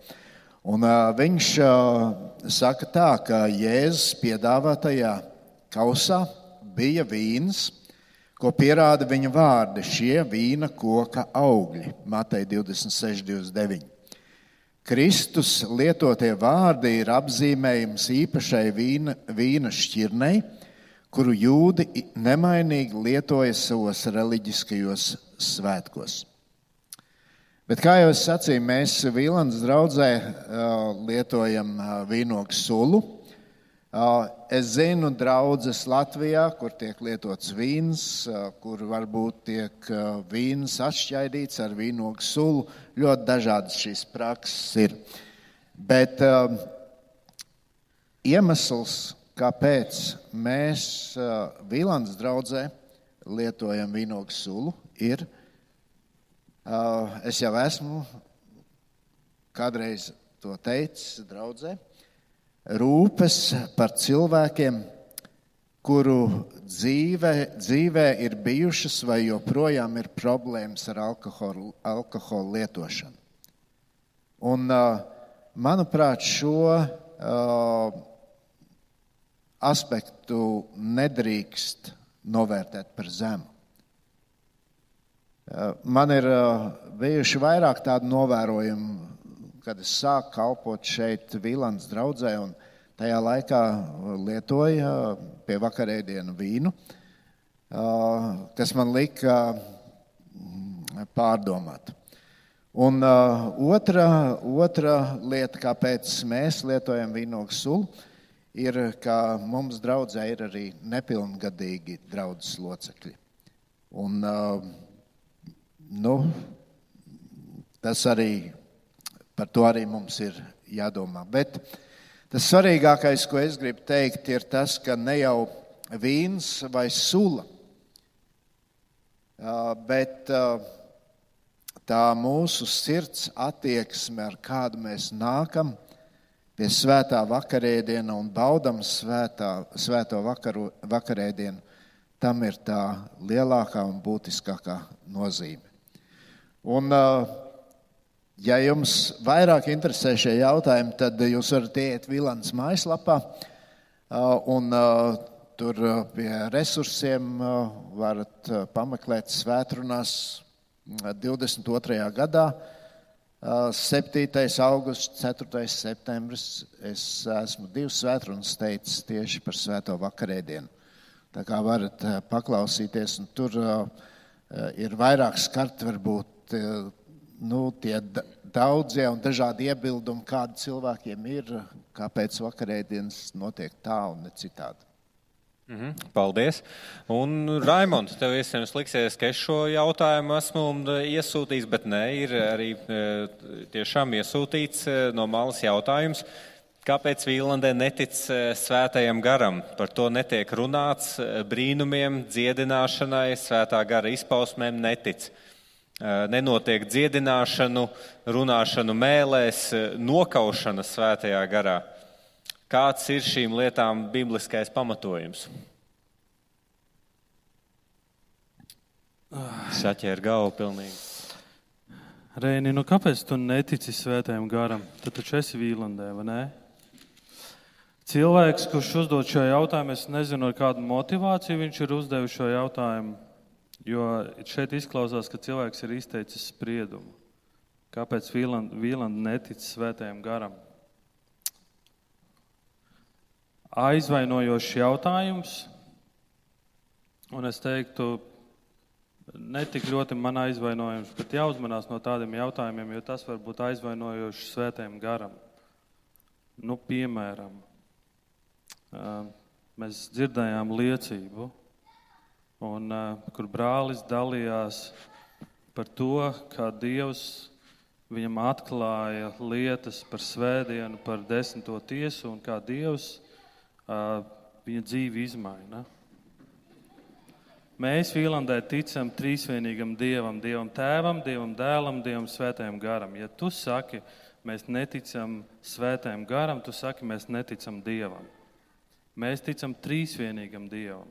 Un viņš saka tā, ka Jēzus piedāvātajā kausā bija vīns, ko pierāda viņa vārdi, šie vīna koka augļi, Mateja divdesmit seši divdesmit deviņi. Kristus lietotie vārdi ir apzīmējums īpašai vīna, vīna šķirnei, kuru jūdi nemainīgi lietoja savos reliģiskajos svētkos. Bet, kā jau es sacīju, mēs Vīlandes draudzē lietojam vīnogu sulu. Es zinu draudzes Latvijā, kur tiek lietots vīns, kur varbūt tiek vīns atšķaidīts ar vīnogu sulu. Ļoti dažādas šīs prakses ir. Bet uh, iemesls, kāpēc mēs uh, Vīlandes draudzē lietojam vīnogu sulu, ir, uh, es jau esmu kādreiz to teicis draudzē, rūpes par cilvēkiem, kuru dzīvē, dzīvē ir bijušas vai joprojām ir problēmas ar alkoholu, alkoholu lietošanu. Un, manuprāt, šo uh, aspektu nedrīkst novērtēt par zemu. Uh, man ir uh, bijuši vairāk tādu novērojumu, kad es sāku kalpot šeit Vīlandes draudzē, un tajā laikā lietoja pie vakarēdienu vīnu, kas man lika pārdomāt. Un otra, otra lieta, kāpēc mēs lietojam vīnogu sulu, ir, ka mums draudzē ir arī nepilngadīgi draudzes locekļi. Un, nu, tas arī Par to arī mums ir jādomā. Bet tas svarīgākais, ko es gribu teikt, ir tas, ka ne jau vīns vai sula, bet tā mūsu sirds attieksme, ar kādu mēs nākam pie svētā vakarēdiena un baudam svētā, svēto vakaru, vakarēdienu, tam ir tā lielākā un būtiskākā nozīme. Un ja jums vairāk interesē šie jautājumi, tad jūs varat iet Vīlandes mājaslapā un tur pie resursiem varat pameklēt svētrunās divdesmit otrajā gadā, septītais augusts, ceturtais septembris. Es esmu divas svētrunas teicis tieši par svēto vakarēdienu. Tā kā varat paklausīties, un tur ir vairāk skart varbūt nu, tie daudzie un dažādi iebildumi, kādi cilvēkiem ir, kāpēc vakarēdienas notiek tā un ne citādi. Mm-hmm. Paldies. Un Raimond, tev iespējams liksies, ka es šo jautājumu esmu iesūtījis, bet nē, ir arī tiešām iesūtīts no malas jautājums. Kāpēc Vīlandē netic svētajam garam? Par to netiek runāts, brīnumiem, dziedināšanai, svētā gara izpausmēm netic. Nenotiek dziedināšanu, runāšanu mēlēs, nokaušana svētajā garā. Kāds ir šīm lietām bibliskais pamatojums? Saķēra galvu pilnīgi. Reini, nu kāpēc tu netici svētajam garam? Tu taču esi Vīlandē, vai ne? Cilvēks, kurš uzdod šo jautājumu, es nezinu, ar kādu motivāciju viņš ir uzdevis šo jautājumu, jo šeit izklausās, ka cilvēks ir izteicis spriedumu. Kāpēc Vīlanda, Vīlanda netic svētajam garam? Aizvainojošs jautājums, un es teiktu, ne tik ļoti man aizvainojums, bet jāuzmanās no tādiem jautājumiem, jo tas var būt aizvainojošs svētajam garam. Nu, piemēram, mēs dzirdējām liecību, un, kur brālis dalījās par to, kā Dievs viņam atklāja lietas par svētdienu, par desmito tiesu, un kā Dievs viņa dzīvi izmaina. Mēs Vīlandē ticam trīsvienīgam Dievam, Dievam Tēvam, Dievam Dēlam, Dievam Svētajam garam. Ja tu saki, mēs neticam Svētajam garam, tu saki, mēs neticam Dievam. Mēs ticam trīsvienīgam Dievam.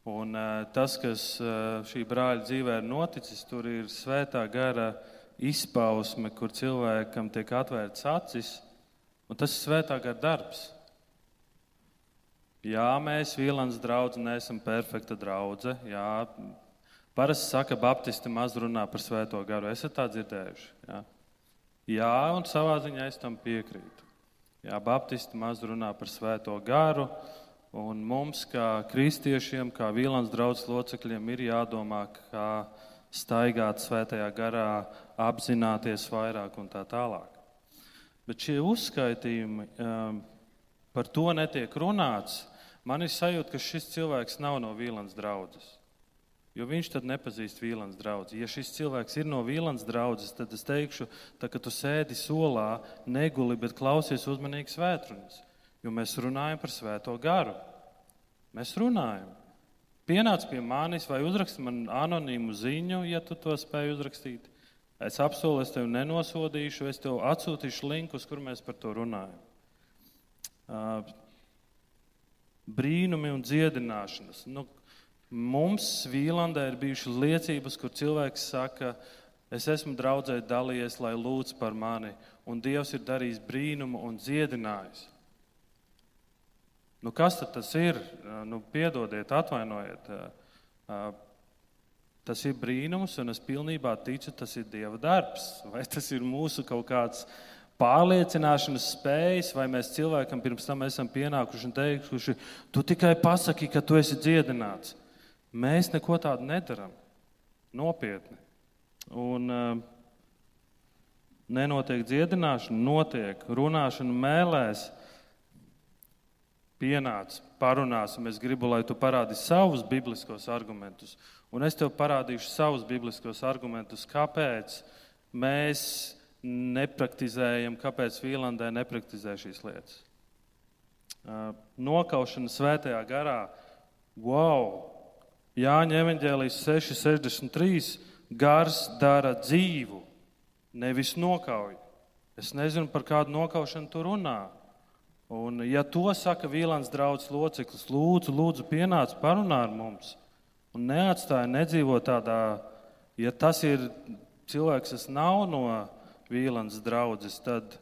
Un uh, tas, kas uh, šī brāļa dzīvē ir noticis, tur ir Svētā gara izpausme, kur cilvēkam tiek atvērts acis, un tas ir Svētā gara darbs. Jā, mēs Vīlandes draudze neesam perfekta draudze. Jā, parasti saka, baptisti maz runā par Svēto garu. Esat tā dzirdējuši? Jā, Jā un savā ziņā es tam piekrītu. Jā, baptisti maz runā par Svēto garu, un mums, kā kristiešiem, kā Vīlandes draudzes locekļiem, ir jādomā, kā staigāt Svētajā garā, apzināties vairāk un tā tālāk. Bet šie uzskaitījumi, um, par to netiek runāts. Man ir sajūta, ka šis cilvēks nav no Vīlandes draudzes, jo viņš tad nepazīst Vīlandes draudzi. Ja šis cilvēks ir no Vīlandes draudzes, tad es teikšu, tā, ka tu sēdi solā, neguli, bet klausies uzmanīgi svētrunas, jo mēs runājam par Svēto garu. Mēs runājam. Pienāc pie manis vai uzraksti man anonīmu ziņu, ja tu to spēj uzrakstīt. Es apsolu, es tevi nenosodīšu, es tev atsūtīšu linkus, kur mēs par to runājam. Uh, brīnumi un dziedināšanas. Nu, mums Vīlandē ir bijušas liecības, kur cilvēks saka, es esmu draudzē dalījies, lai lūdz par mani, un Dievs ir darījis brīnumu un dziedinājis. Nu, kas tad tas ir? Nu, piedodiet, atvainojiet. Uh, tas ir brīnums, un es pilnībā ticu, tas ir Dieva darbs. Vai tas ir mūsu kaut kāds pārliecināšanas spējas, vai mēs cilvēkam pirms tam esam pienākuši un teikuši, tu tikai pasaki, ka tu esi dziedināts. Mēs neko tādu nedaram. Nopietni. Un uh, nenotiek dziedināšana, notiek runāšana mēlēs. Pienāc, parunāsim, es gribu, lai tu parādi savus bibliskos argumentus. Un es tev parādīšu savus bibliskos argumentus, kāpēc mēs nepraktizējam, kāpēc Vīlandē nepraktizē šīs lietas. Nokaušana Svētajā garā. Wow! Jāņa evaņģēlijas seši sešdesmit trīs. Gars dara dzīvu, nevis nokauj. Es nezinu, par kādu nokaušanu tu runā. Un ja to saka Vīlandes draudzes loceklis, lūdzu, lūdzu, pienāc, parunā ar mums. Un neatstāja, nedzīvo tādā, ja tas ir cilvēks, kas nav no Vīlandes draudzes, tad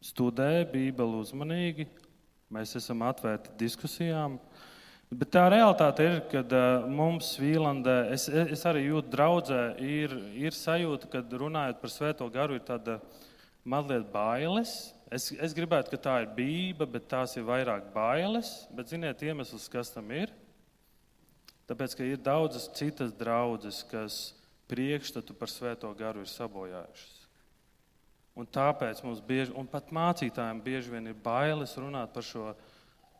studē Bībeli uzmanīgi, mēs esam atvērti diskusijām. Bet tā realitāte ir, kad mums Vīlandē, es, es arī jūtu draudzē, ir, ir sajūta, kad runājot par Svēto garu, ir tāda mazliet bailes. Es, es gribētu, ka tā ir bība, bet tās ir vairāk bailes, bet ziniet iemesls, kas tam ir? Tāpēc, ka ir daudzas citas draudzes, kas priekšstatu par Svēto garu ir sabojājušas. Un tāpēc mums bieži, un pat mācītājiem bieži vien ir bailes runāt par šo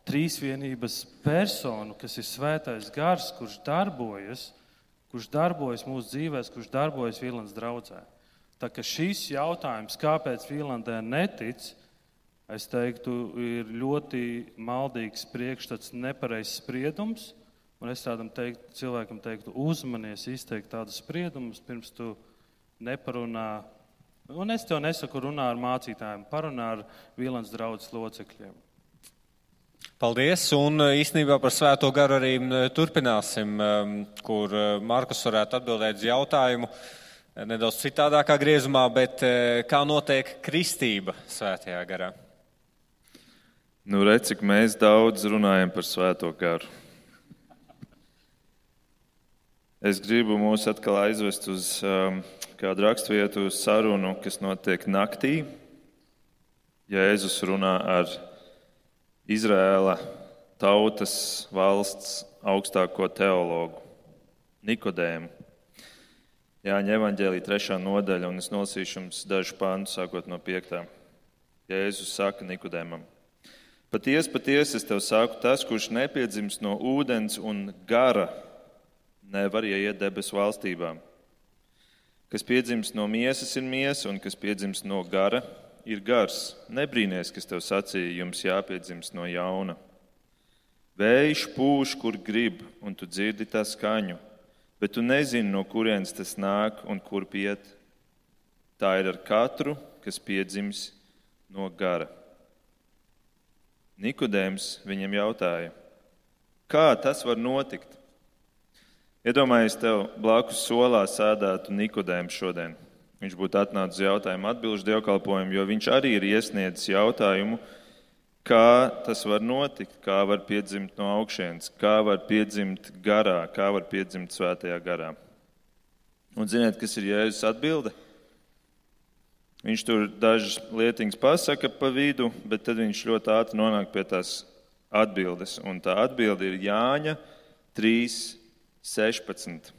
trīsvienības personu, kas ir Svētais gars, kurš darbojas, kurš darbojas mūsu dzīvēs, kurš darbojas Vīlandes draudzē. Tā ka šis jautājums, kāpēc Vīlandē netic, es teiktu, ir ļoti maldīgs priekšstats, nepareizs spriedums. Un es tādam teiktu, cilvēkam teiktu, uzmanies izteikt tādus spriedumus, pirms tu neparunā Un es tev nesaku runā ar mācītājiem, parunā ar Vīlens draudzes locekļiem. Paldies, un īstenībā par Svēto garu arī turpināsim, kur Markus varētu atbildēt uz jautājumu nedaudz citādākā griezumā, bet kā notiek kristība Svētajā garā? Nu, redz, cik mēs daudz runājam par Svēto garu. Es gribu mūs atkal aizvest uz um, kādu raksturvietu sarunu, kas notiek naktī. Jēzus runā ar Izraēla tautas valsts augstāko teologu Nikodēmu. Jāņa evaņģēlija trešā nodaļa, un es nolasīšu jums dažu pāntu, sākot no piektā. Jēzus saka Nikodēmam: Paties, paties, es tev saku, tas, kurš nepiedzims no ūdens un gara, nevar ieiet debesu valstībā. Kas piedzimst no miesas ir miesa, un kas piedzimst no gara ir gars. Nebrīnies, kas tev sacīja, jums jāpiedzimst no jauna. Vējš pūš, kur grib, un tu dzirdi tā skaņu, bet tu nezini, no kurienes tas nāk un kur iet. Tā ir ar katru, kas piedzims no gara. Nikodēms viņam jautāja: Kā tas var notikt? Iedomājies, tev blakus solā sēdētu Nikodēms šodien. Viņš būtu atnācis uz jautājumu atbilžu dievkalpojumu, jo viņš arī ir iesniedzis jautājumu, kā tas var notikt, kā var piedzimt no augšienes, kā var piedzimt garā, kā var piedzimt Svētajā garā. Un ziniet, kas ir Jēzus atbilde? Viņš tur dažas lietiņas pasaka pa vidu, bet tad viņš ļoti ātri nonāk pie tās atbildes. Un tā atbilde ir Jāņa trīs sešpadsmit.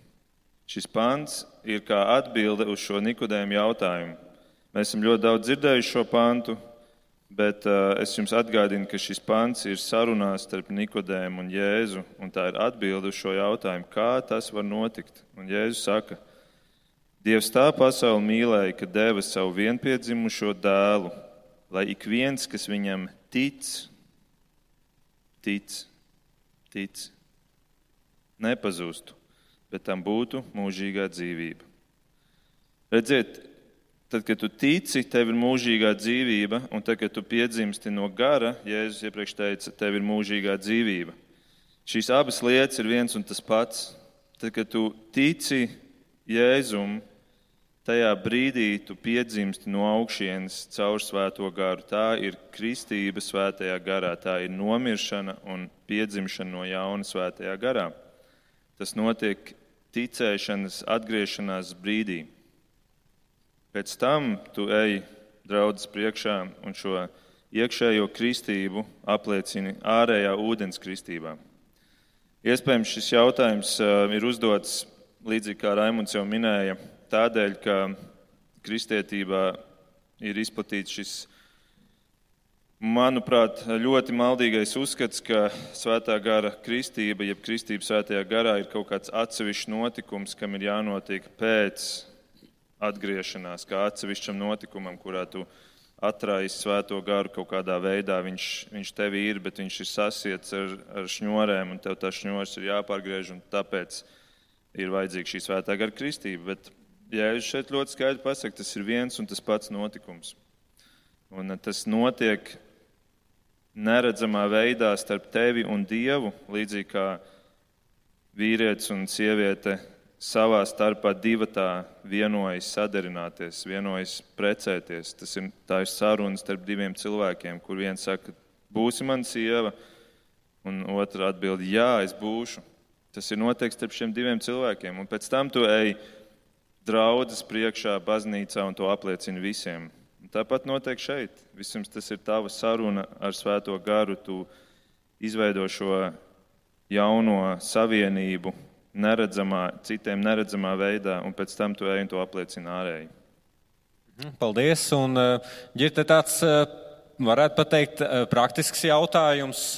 Šis pants ir kā atbilde uz šo Nikodēmu jautājumu. Mēs esam ļoti daudz dzirdējuši šo pantu, bet uh, es jums atgādinu, ka šis pants ir sarunās starp Nikodēmu un Jēzu, un tā ir atbilde uz šo jautājumu, kā tas var notikt. Un Jēzus saka: Dievs tā pasauli mīlēja, ka deva savu vienpiedzimušo dēlu, lai ik viens, kas viņam tic, tic, tic, nepazūstu, bet tam būtu mūžīgā dzīvība. Redziet, tad, kad tu tici, tev ir mūžīgā dzīvība, un tad, kad tu piedzimsti no gara, Jēzus iepriekš teica, tev ir mūžīgā dzīvība. Šīs abas lietas ir viens un tas pats. Tad, kad tu tici Jēzum, tajā brīdī tu piedzimsti no augšienes caur Svēto garu. Tā ir kristība Svētajā garā, tā ir nomiršana un piedzimšana no jauna Svētajā garā. Tas notiek ticēšanas atgriešanās brīdī. Pēc tam tu ej draudzes priekšā un šo iekšējo kristību apliecini ārējā ūdens kristībā. Iespējams, šis jautājums ir uzdots, līdzīgi kā Raimunds jau minēja, tādēļ, ka kristietībā ir izplatīts šis, manuprāt, ļoti maldīgais uzskats, ka Svētā gara kristība, jeb kristība Svētajā garā ir kaut kāds atsevišķs notikums, kam ir jānotiek pēc atgriešanās, kā atsevišķam notikumam, kurā tu atraisi Svēto garu kaut kādā veidā. Viņš, viņš tevi ir, bet viņš ir sasiets ar, ar šņorēm, un tev tā šņors ir jāpārgriež, un tāpēc ir vajadzīga šī Svētā gara kristība. Bet Jēzus šeit ļoti skaidri pasaka, tas ir viens un tas pats notikums. Un tas notiek neredzamā veidā starp tevi un Dievu, līdzīgi kā vīrietis un sieviete savā starpā divatā vienojas sadarināties, vienojas precēties. Tas ir, tā ir saruna starp diviem cilvēkiem, kur viens saka, būsi man sieva, un otra atbild, jā, es būšu. Tas ir notiek starp šiem diviem cilvēkiem, un pēc tam tu ej draudzes priekšā, baznīcā, un to apliecini visiem. Un tāpat notiek šeit. Visums tas ir tava saruna ar Svēto garu. Tu izveido šo jauno savienību neredzamā, citiem neredzamā veidā, un pēc tam tu ej un to apliecini ārēji. Paldies. Un, Ģirte, tāds, varētu pateikt, praktisks jautājums.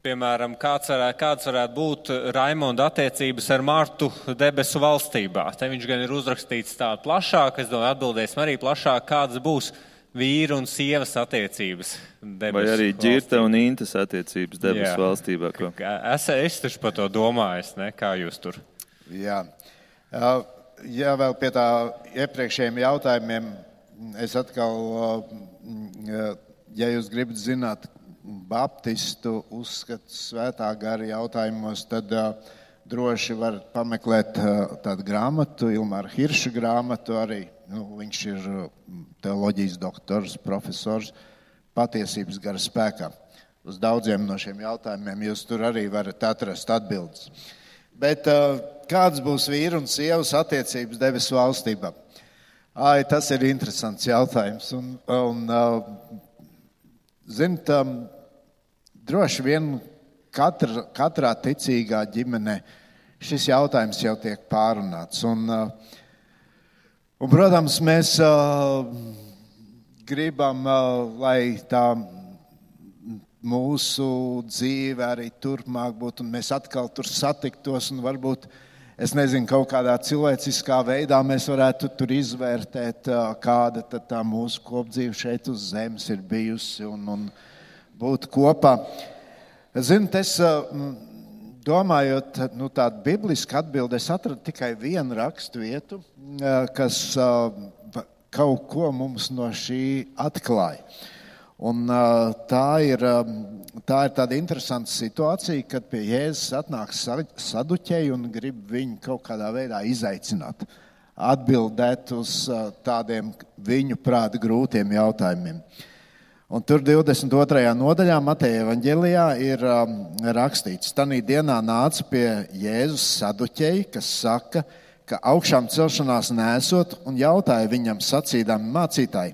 Piemēram, kāds varētu, kāds varētu būt Raimonda attiecības ar Martu debesu valstībā? Te viņš gan ir uzrakstīts tā plašāk, es domāju, atbildēsim arī plašāk, kādas būs vīru un sievas attiecības debesu Vai arī Ģirta un Intas attiecības debesu Jā. valstībā? Ko? Es, es taču par to domāju, ne? Kā jūs tur? Jā. Jā, vēl pie tā iepriekšējiem jautājumiem es atkal, ja jūs gribat zināt baptistu uzskatu svētā gara jautājumos, tad droši varat pameklēt tādu grāmatu, Ilmāra Hirša grāmatu arī. Nu, viņš ir teoloģijas doktors, profesors, patiesības gara spēkā. Uz daudziem no šiem jautājumiem jūs tur arī varat atrast atbildes. Bet kāds būs vīru un sievas attiecības debesu valstībā? Ai, tas ir interesants jautājums. Un, un ziniet, droši vien katra, katrā ticīgā ģimenē šis jautājums jau tiek pārunāts. Un, un protams, mēs gribam, lai tā mūsu dzīve arī turpmāk būtu, un mēs atkal tur satiktos, un varbūt, es nezinu, kaut kādā cilvēciskā veidā mēs varētu tur izvērtēt, kāda tad tā mūsu kopdzīve šeit uz zemes ir bijusi, un, un būt kopā. Ziniet, es domājot, nu tādu biblisku atbildi, es atradu tikai vienu rakstu vietu, kas kaut ko mums no šī atklāja. Un tā ir, tā ir tāda interesanta situācija, kad pie Jēzus atnāk saduķeji un grib viņu kaut kādā veidā izaicināt, atbildēt uz tādiem viņu prāta grūtiem jautājumiem. Un tur divdesmit otrajā nodaļā Mateja evaņģelijā ir rakstīts: Tanī dienā nāca pie Jēzus saduķeji, kas saka, ka augšām celšanās nesot, un jautāja viņam sacīdami: mācītāji,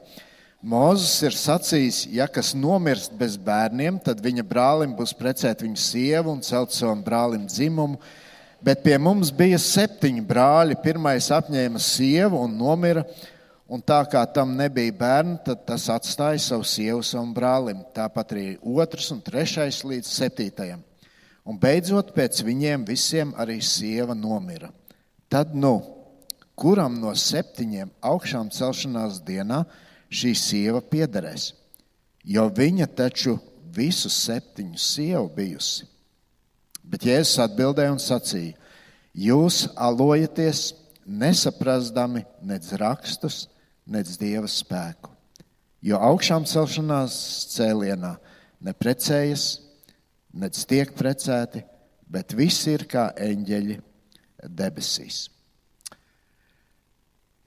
Mūzes ir sacījis, ja kas nomirst bez bērniem, tad viņa brālim būs precēt viņu sievu un celt savam brālim dzimumu, bet pie mums bija septiņi brāļi, pirmais apņēma sievu un nomira, un tā kā tam nebija bērni, tad tas atstāja savu sievu savam brālim, tāpat arī otrs un trešais līdz septītajam. Un beidzot pēc viņiem visiem arī sieva nomira. Tad nu, kuram no septiņiem augšām celšanās dienā šī sieva piederēs, jo viņa taču visu septiņu sievu bijusi. Bet Jēzus atbildēja un sacīja: jūs alojaties, nesaprastami nec rakstus, nec Dieva spēku, jo augšām celšanās cēlienā neprecējas, nec tiek precēti, bet visi ir kā eņģeļi debesīs.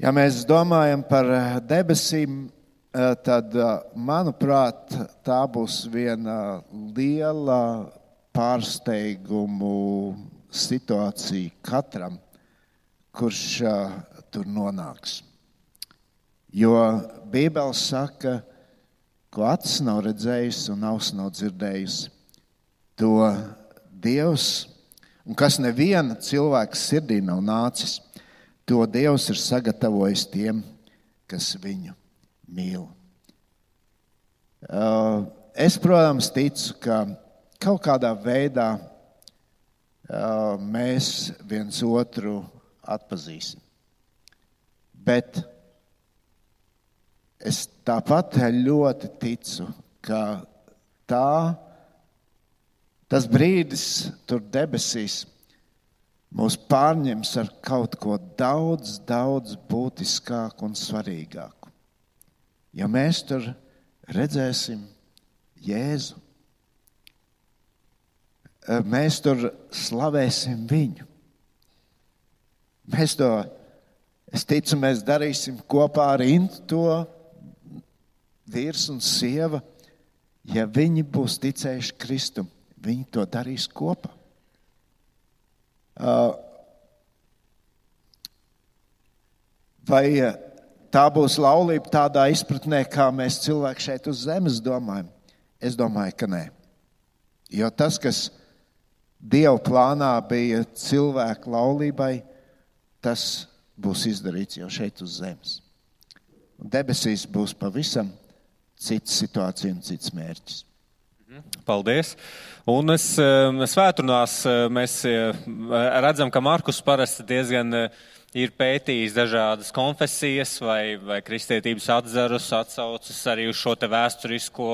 Ja mēs domājam par debesīm, tad, manuprāt, tā būs viena liela pārsteigumu situācija katram, kurš tur nonāks. Jo Bībele saka, ko acis nav redzējusi un auss nav dzirdējusi, to Dievs, un kas neviena cilvēka sirdī nav nācis, to Dievs ir sagatavojis tiem, kas viņu mīl. Es, protams, ticu, ka kaut kādā veidā mēs viens otru atpazīsim. Bet es tāpat ļoti ticu, ka tā, tas brīdis tur debesīs mūs pārņems ar kaut ko daudz, daudz būtiskāku un svarīgāku. Ja mēs tur redzēsim Jēzu, mēs tur slavēsim viņu. Mēs to, es ticu, mēs darīsim kopā ar Intu to vīrs un sieva. Ja viņi būs ticējuši Kristum, viņi to darīs kopā. Vai tā būs laulība tādā izpratnē, kā mēs cilvēki šeit uz zemes domājam? Es domāju, ka nē. Jo tas, kas Dieva plānā bija cilvēku laulībai, tas būs izdarīts jau šeit uz zemes. Un debesīs būs pavisam cits situācija un cits mērķis. Paldies. Un es, svētdienās mēs redzam, ka Markus parasti diezgan ir pētījis dažādas konfesijas vai, vai kristietības atzarus, atsaucas arī uz šo te vēsturisko,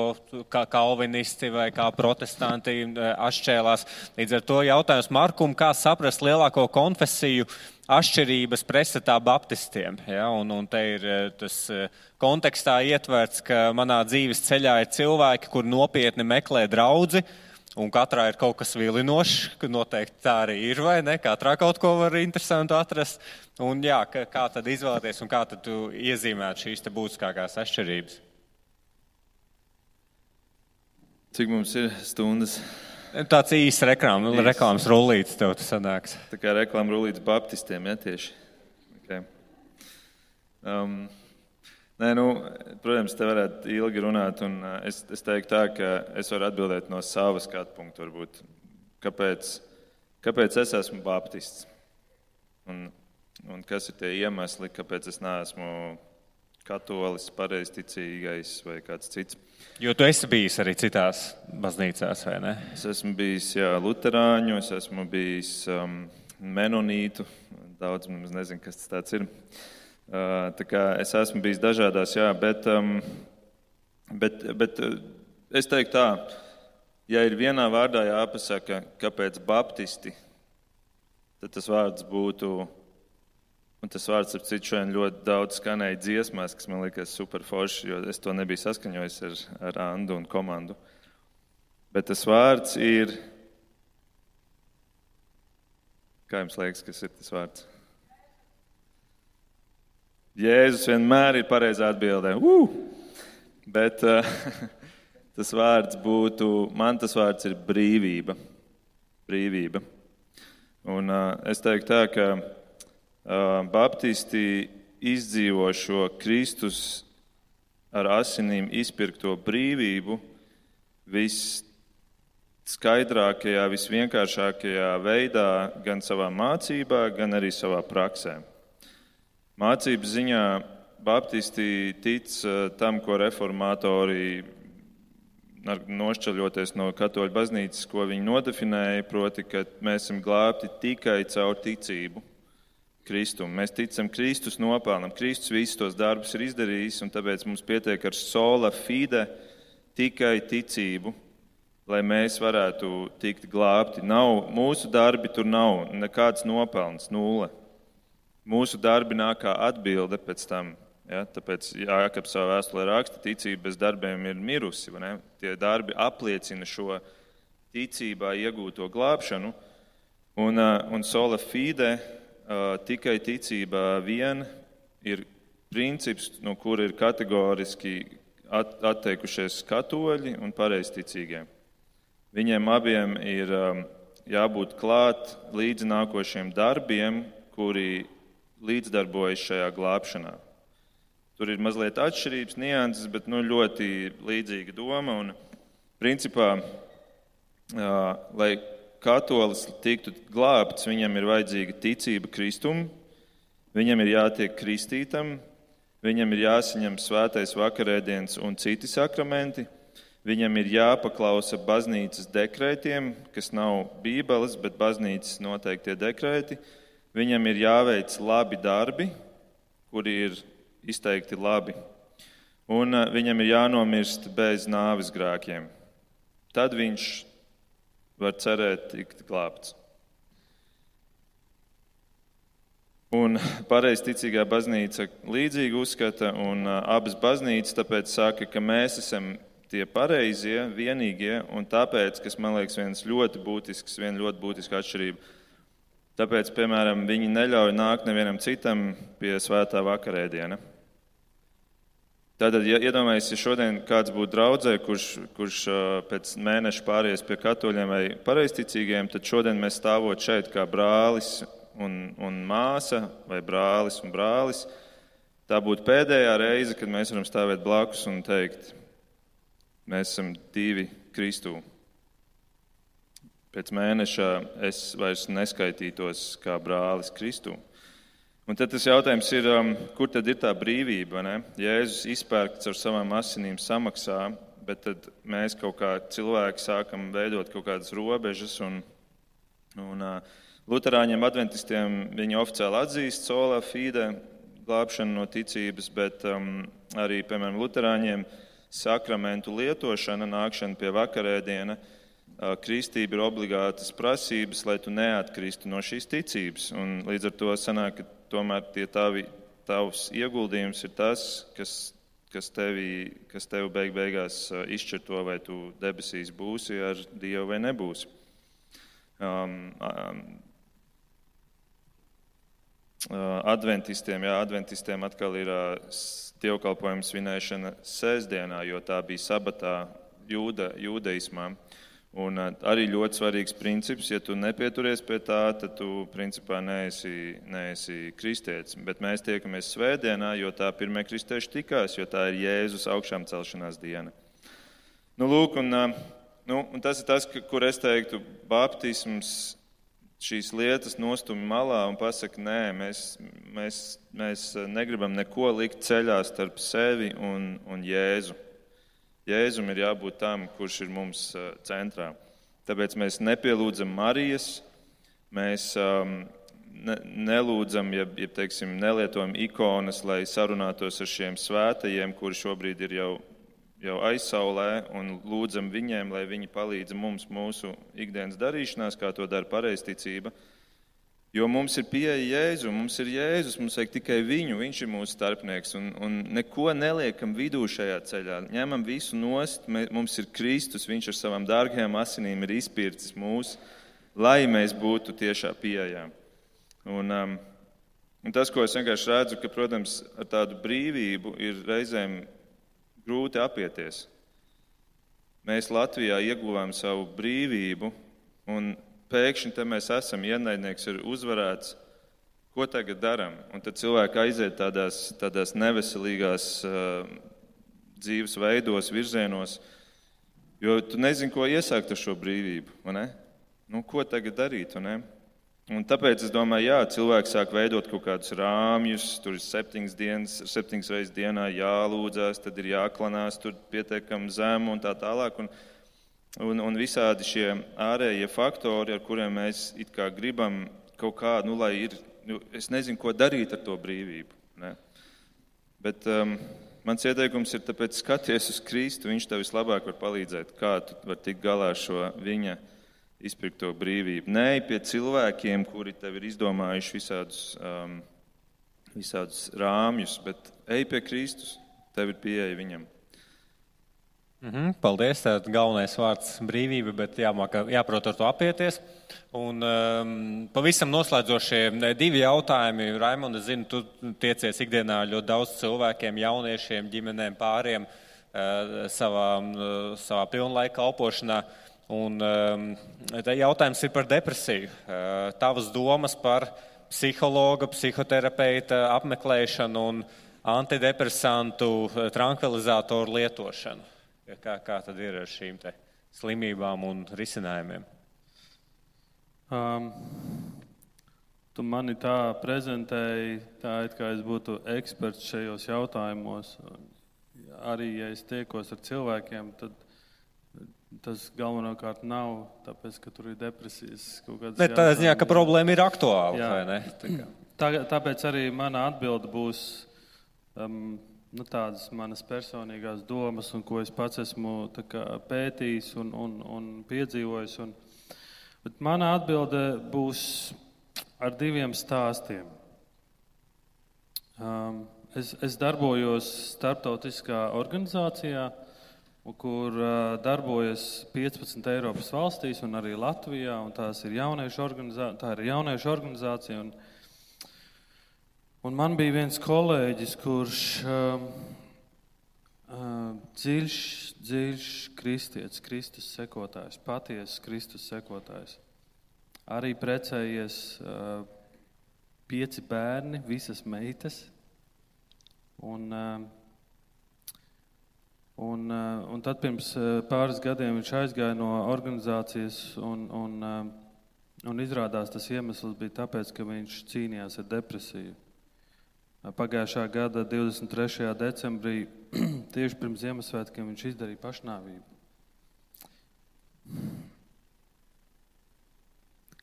kā kalvinisti vai kā protestanti atšķēlās. Līdz ar to jautājums Markum, kā saprast lielāko konfesiju atšķirības pretstatā baptistiem. Ja? Un, un te ir tas kontekstā ietverts, ka manā dzīves ceļā ir cilvēki, kur nopietni meklē draudzi, un katrā ir kaut kas vilinošs, ka noteikti tā arī ir, vai ne? Katrā kaut ko var interesantu atrast. Un jā, kā, kā tad izvēlēties un kā tad tu iezīmētu šīs te būtiskākās atšķirības? Cik mums ir stundas? Tāds īsts reklām, reklāmas rullītis tev tas sanāks. Tā kā reklāma rullītis baptistiem, ja tieši? Okay. Um, Nē, nu, protams, te varētu ilgi runāt, un es, es teiktu tā, ka es varu atbildēt no savas skatu punktu, varbūt, kāpēc, kāpēc es esmu baptists, un, un kas ir tie iemesli, kāpēc es neesmu katolis, pareizticīgais vai kāds cits. Jo tu esi bijis arī citās baznīcās, vai ne? Es esmu bijis, jā, luterāņu, es esmu bijis um, menonītu, daudz mums nezinu, kas tas tāds ir. Tā kā es esmu bijis dažādās, jā, bet, um, bet, bet es teiktu tā, ja ir vienā vārdā jāpasaka, kāpēc baptisti, tad tas vārds būtu, un tas vārds ap citu šodien ļoti daudz skanēja dziesmās, kas man liekas super forši, jo es to nebiju saskaņojis ar, ar Andu un komandu. Bet tas vārds ir, kā jums liekas, kas ir tas vārds? Jēzus vienmēr ir pareizā atbildē. Uh! Bet uh, tas vārds būtu, man tas vārds ir brīvība. Brīvība. Un uh, es teiktu tā, ka uh, baptisti izdzīvo šo Kristus ar asinīm izpirkto brīvību visskaidrākajā, visvienkāršākajā veidā, gan savā mācībā, gan arī savā praksē. Mācības ziņā baptisti tic tam, ko reformatori, nošķaļoties no katoļu baznīcas, ko viņi nodefinēja, proti, ka mēs esam glābti tikai caur ticību Kristum. Mēs ticam Kristus nopelnam. Kristus visus tos darbus ir izdarījis, un tāpēc mums pietiek ar sola fide tikai ticību, lai mēs varētu tikt glābti. Nav, mūsu darbi tur nav nekāds nopelns, nulle. Mūsu darbi nāk kā atbilde pēc tam, ja? Tāpēc Jākabs savā vēstulē raksta, ticība bez darbiem ir mirusi. Vai ne? Tie darbi apliecina šo ticībā iegūto glābšanu, un, un sola fide tikai ticībā vien ir princips, no kura ir kategoriski atteikušies katoļi un pareizticīgie. Viņiem abiem ir jābūt klāt līdz nākošiem darbiem, kuri līdzdarbojas šajā glābšanā. Tur ir mazliet atšķirības, nianses, bet nu, ļoti līdzīga doma. Un, principā, lai katolis tiktu glābts, viņam ir vajadzīga ticība Kristum, viņam ir jātiek kristītam, viņam ir jāsaņem svētais vakarēdiens un citi sakramenti, viņam ir jāpaklausa baznīcas dekrētiem, kas nav bībeles, bet baznīcas noteiktie dekrēti. Viņam ir jāveic labi darbi, kuri ir izteikti labi, un viņam ir jānomirst bez nāves grēkiem. Tad viņš var cerēt tikt glābts. Un pareizticīgā baznīca līdzīgi uzskata, un abas baznīcas tāpēc saka, ka mēs esam tie pareizie, vienīgie, un tāpēc, kas man liekas viens ļoti būtisks, viena ļoti būtiska atšķirība, tāpēc, piemēram, viņi neļauj nākt nevienam citam pie svētā vakarēdiena. Tātad, ja iedomājies, ja šodien kāds būtu draudzē, kurš, kurš pēc mēneša pāries pie katoļiem vai pareizticīgiem, tad šodien mēs stāvot šeit kā brālis un, un māsa, vai brālis un brālis. Tā būtu pēdējā reize, kad mēs varam stāvēt blakus un teikt, mēs esam divi Kristū. Pēc mēneša es vairs neskaitītos kā brālis Kristū. Un tad tas jautājums ir, kur tad ir tā brīvība, ne? Jēzus izpērkts ar savām asinīm samaksā, bet tad mēs kaut kā cilvēki sākam veidot kaut kādas robežas un, un, Luterāņiem, adventistiem viņi oficiāli atzīst sola fide, glābšanu no ticības, bet um, arī, piemēram, luterāņiem sakramentu lietošana, nākšana pie vakarēdiena, uh, kristība ir obligātas prasības, lai tu neatkristu no šīs ticības. Un līdz ar to sanāk, ka tomēr tie tavi, tavs ieguldījums ir tas, kas, kas, tevi, kas tevi beig beigās uh, izšķir to, vai tu debesīs būsi ar Dievu vai nebūsi. Um, um, Adventistiem, jā, adventistiem atkal ir dievkalpojuma svinēšana sēsdienā, jo tā bija sabatā jūda, jūdaismā. Un arī ļoti svarīgs princips, ja tu nepieturies pie tā, tad tu principā neesi, neesi kristietis. Bet mēs tiekamies svētdienā, jo tā pirmie kristieši tikās, jo tā ir Jēzus augšām celšanās diena. Nu, lūk, un, nu, un tas ir tas, kur es teiktu, baptisms šīs lietas nostumi malā un pasaka, nē, mēs, mēs, mēs negribam neko likt ceļā starp sevi un, un Jēzu. Jēzum ir jābūt tam, kurš ir mums centrā. Tāpēc mēs nepielūdzam Marijas, mēs um, ne, nelūdzam, ja, ja teiksim, nelietojam ikonas, lai sarunātos ar šiem svētajiem, kuri šobrīd ir jau jau aizsaulē, un lūdzam viņiem, lai viņi palīdz mums mūsu ikdienas darīšanās, kā to dara pareizticība. Jo mums ir pieeja Jēzu, mums ir Jēzus, mums vajag tikai viņu, viņš ir mūsu starpnieks, un, un neko neliekam vidū šajā ceļā. Ņemam visu nost, mums ir Kristus, viņš ar savām dārgajām asinīm ir izpircis mūs, lai mēs būtu tiešā pieejā. Un, um, un tas, ko es vienkārši redzu, ka, protams, ar tādu brīvību ir reizēm grūti apieties. Mēs Latvijā ieguvām savu brīvību, un pēkšņi te mēs esam, ienaidnieks ir uzvarēts, ko tagad daram? Un tad cilvēki aiziet tādās, tādās neveselīgās uh, dzīves veidos, virzienos, jo tu nezini, ko iesākt ar šo brīvību, vai ne? Nu, ko tagad darīt, vai ne? Un tāpēc es domāju, jā, cilvēki sāk veidot kaut kādus rāmjus, tur ir septiņas dienas, septiņas reizes dienā jālūdzās, tad ir jāklanās, tur pietiekam zemu un tā tālāk. Un, un, un visādi šie ārējie faktori, ar kuriem mēs it kā gribam kaut kā, nu, lai ir, nu, es nezinu, ko darīt ar to brīvību. Ne? Bet um, mans ieteikums ir tāpēc skaties uz Kristu, viņš tev vislabāk var palīdzēt, kā tu var tikt galā ar šo viņa izpirkto brīvību. Nē, pie cilvēkiem, kuri tev ir izdomājuši visādus, um, visādus rāmjus, bet ej pie Kristus, tev ir pieeja viņam. Mm-hmm, paldies, tātad galvenais vārds brīvība, bet jāmāk, jāprot ar to apieties. Un um, pavisam noslēdzošie divi jautājumi. Raimond, es zinu, tu tiecies ikdienā ļoti daudz cilvēkiem, jauniešiem, ģimenēm, pāriem uh, savā, uh, savā pilnlaika kalpošanā. Un um, jautājums ir par depresiju. Uh, tavas domas par psihologa, psihoterapeita apmeklēšanu un antidepresantu, trankvilizatoru lietošanu. Kā, kā tad ir ar šīm te slimībām un risinājumiem? Um, tu mani tā prezentēji, tā it kā es būtu eksperts šajos jautājumos. Arī, ja es tiekos ar cilvēkiem, tad tas galvenokārt nav, tāpēc, ka tur ir depresijas kaut kādas... Bet tādā ziņā, ka problēma ir aktuāla, jā, vai ne? Tā, tā, tāpēc arī mana atbilde būs um, nu, tādas manas personīgās domas, un ko es pats esmu tā kā pētījis un, un, un piedzīvojis. Un, bet mana atbilde būs ar diviem stāstiem. Um, es, es darbojos starptautiskā organizācijā, kur uh, darbojas piecpadsmit Eiropas valstīs un arī Latvijā, un tās ir jauniešu organizācija, tā ir jauniešu organizācija. Un, un man bija viens kolēģis, kurš uh, uh, dziļš, dziļš kristietis, Kristus sekotājs, patiesas Kristus sekotājs. Arī precējies uh, pieci bērni, visas meitas. Un... Uh, Un, un tad pirms pāris gadiem viņš aizgāja no organizācijas un, un, un izrādās tas iemesls bija tāpēc, ka viņš cīnījās ar depresiju. Pagājušā gada divdesmit trešajā decembrī, tieši pirms Ziemassvētkiem, viņš izdarīja pašnāvību.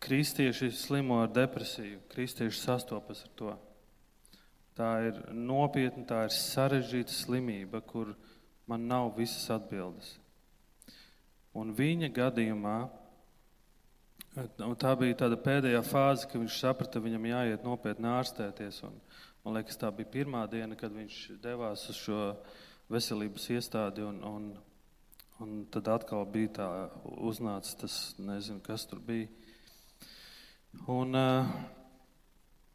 kristieši slimo ar depresiju, kristieši sastopas ar to. Tā ir nopietna, tā ir sarežģīta slimība, kur man nav visas atbildes. Un viņa gadījumā, un tā bija tāda pēdējā fāze, ka viņš saprata, viņam jāiet nopietni ārstēties. Un, man liekas, tā bija pirmā diena, kad viņš devās uz šo veselības iestādi, un, un, un tad atkal bija tā uznācis tas, nezinu, kas tur bija. Un,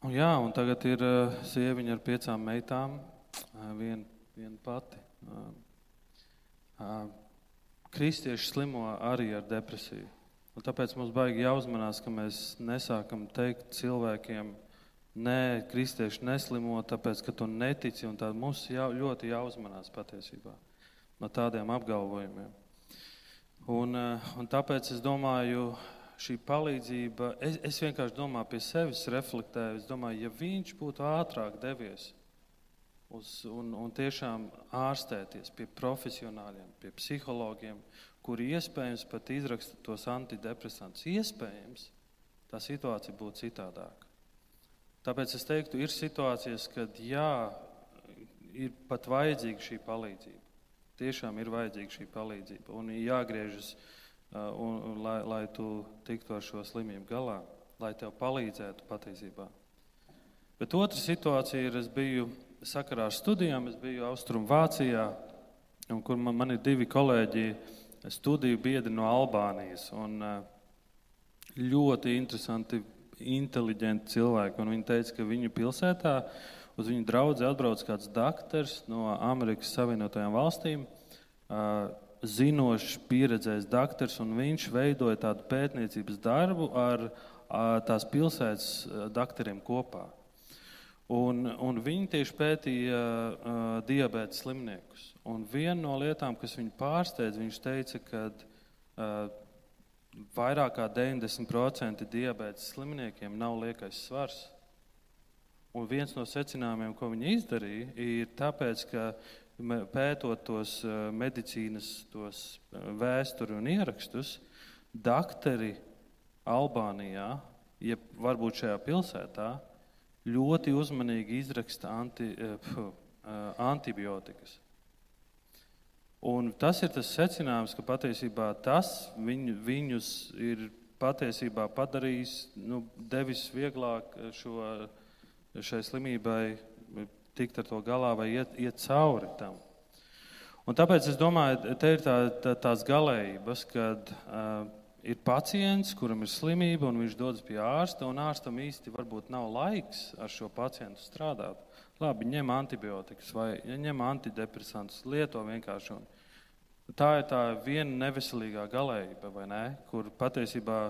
un jā, un tagad ir sieviņa ar piecām meitām, vien, vien pati. Kristieši slimo arī ar depresiju. Un tāpēc mums baigi jāuzmanās, ka mēs nesākam teikt cilvēkiem, nē, kristieši neslimo, tāpēc, ka tu netici, un tā mums jā, ļoti jāuzmanās patiesībā no tādiem apgalvojumiem. Un, un tāpēc es domāju, šī palīdzība, es, es vienkārši domāju pie sevis reflektēju, es domāju, ja viņš būtu ātrāk devies uz, un, un tiešām ārstēties pie profesionāļiem, pie psihologiem, kuri iespējams pat izraksta tos antidepresantus, iespējams, tā situācija būtu citādāka. Tāpēc es teiktu, ir situācijas, kad jā, ir pat vajadzīga šī palīdzība. Tiešām ir vajadzīga šī palīdzība un jāgriežas, uh, un, un, lai, lai tu tiktu ar šo slimību galā, lai tev palīdzētu patiesībā. Bet otra situācija ir, es biju sakarā ar studijām, es biju Austrum Vācijā, un kur man, man ir divi kolēģi, studiju biedri no Albānijas, un ļoti interesanti, inteliģenti cilvēki, un viņi teica, ka viņu pilsētā uz viņu draudzi atbrauc kāds daktars no Amerikas Savienotajām valstīm, zinošs, pieredzējis daktars, un viņš veidoja tādu pētniecības darbu ar tās pilsētas daktariem kopā. Un, un viņi tieši pētīja uh, diabēta slimniekus. Un viena no lietām, kas viņu pārsteidz, viņš teica, ka uh, vairāk kā deviņdesmit procenti diabēta slimniekiem nav liekais svars. Un viens no secinājumiem, ko viņi izdarīja, ir tāpēc, ka pētot tos uh, medicīnas, tos uh, vēsturi un ierakstus, daktari Albānijā, ja varbūt šajā pilsētā, ļoti uzmanīgi izraksta anti, uh, antibiotikas. Un tas ir tas secinājums, ka patiesībā tas viņu, viņus ir patiesībā padarījis, nu, devis vieglāk šo, šai slimībai tikt ar to galā vai iet, iet cauri tam. Un tāpēc es domāju, te ir tā, tā, tās galējības, kad uh, ir pacients, kuram ir slimība, un viņš dodas pie ārsta, un ārstam īsti varbūt nav laiks ar šo pacientu strādāt. Labi, ņem antibiotikas vai ja ņem antidepresantus, lieto vienkārši. Un tā ir tā viena neveselīgā galējība, vai ne? Kur patiesībā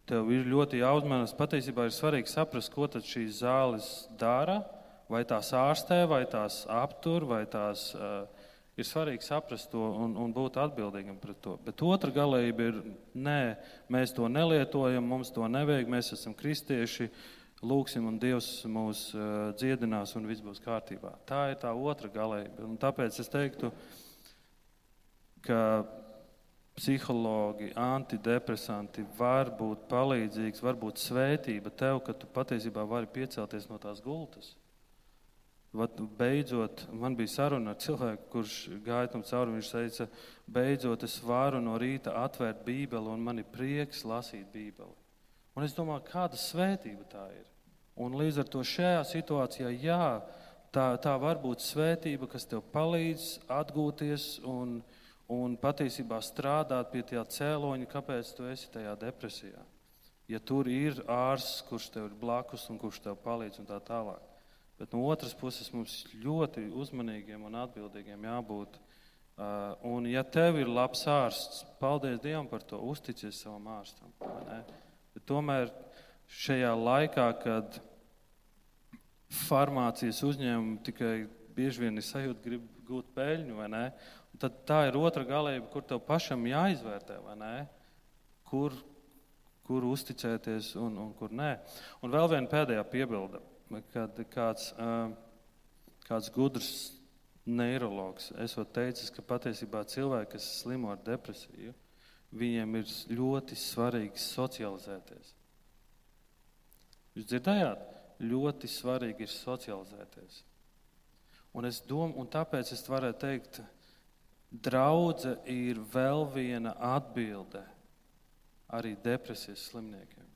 tev ir ļoti jāuzmanas. Patiesībā ir svarīgi saprast, ko tad šīs zāles dara, vai tās ārstē, vai tās aptur, vai tās... Uh, Ir svarīgi saprast to un, un būt atbildīgam pret to. Bet otra galējība ir, nē, mēs to nelietojam, mums to nevajag, mēs esam kristieši, lūksim un Dievs mūs uh, dziedinās un viss būs kārtībā. Tā ir tā otra galējība. Un tāpēc es teiktu, ka psihologi, antidepresanti var būt palīdzīgs, var būt svētība tev, ka tu patiesībā vari piecelties no tās gultas. Vat, beidzot, man bija saruna ar cilvēku, kurš gāja tam cauri, viņš teica, beidzot es varu no rīta atvērt Bībeli un man ir prieks lasīt Bībeli. Un es domāju, kāda svētība tā ir. Un līdz ar to šajā situācijā, jā, tā, tā var būt svētība, kas tev palīdz atgūties un, un patiesībā strādāt pie tā cēloņa, kāpēc tu esi tajā depresijā. Ja tur ir ārsts, kurš tev ir blakus un kurš tev palīdz un tā tālāk. Bet no otras puses mums ļoti uzmanīgiem un atbildīgiem jābūt. Uh, un ja tev ir labs ārsts, paldies Dievam par to, uzticies savam ārstam. Bet tomēr šajā laikā, kad farmācijas uzņēmumi tikai bieži vien ir sajūta, grib gūt peļņu, vai ne? Tad tā ir otra galējība, kur tev pašam jāizvērtē, vai ne? Kur, kur uzticēties un, un kur nē. Un vēl viena pēdējā piebilde. Kad kāds, kāds gudrs neirologs esot teicis, ka patiesībā cilvēki, kas slimo ar depresiju, viņiem ir ļoti svarīgi socializēties. Jūs dzirdējāt? Ļoti svarīgi ir socializēties. Un, es dom, un tāpēc es varētu teikt, draudze ir vēl viena atbilde arī depresijas slimniekiem.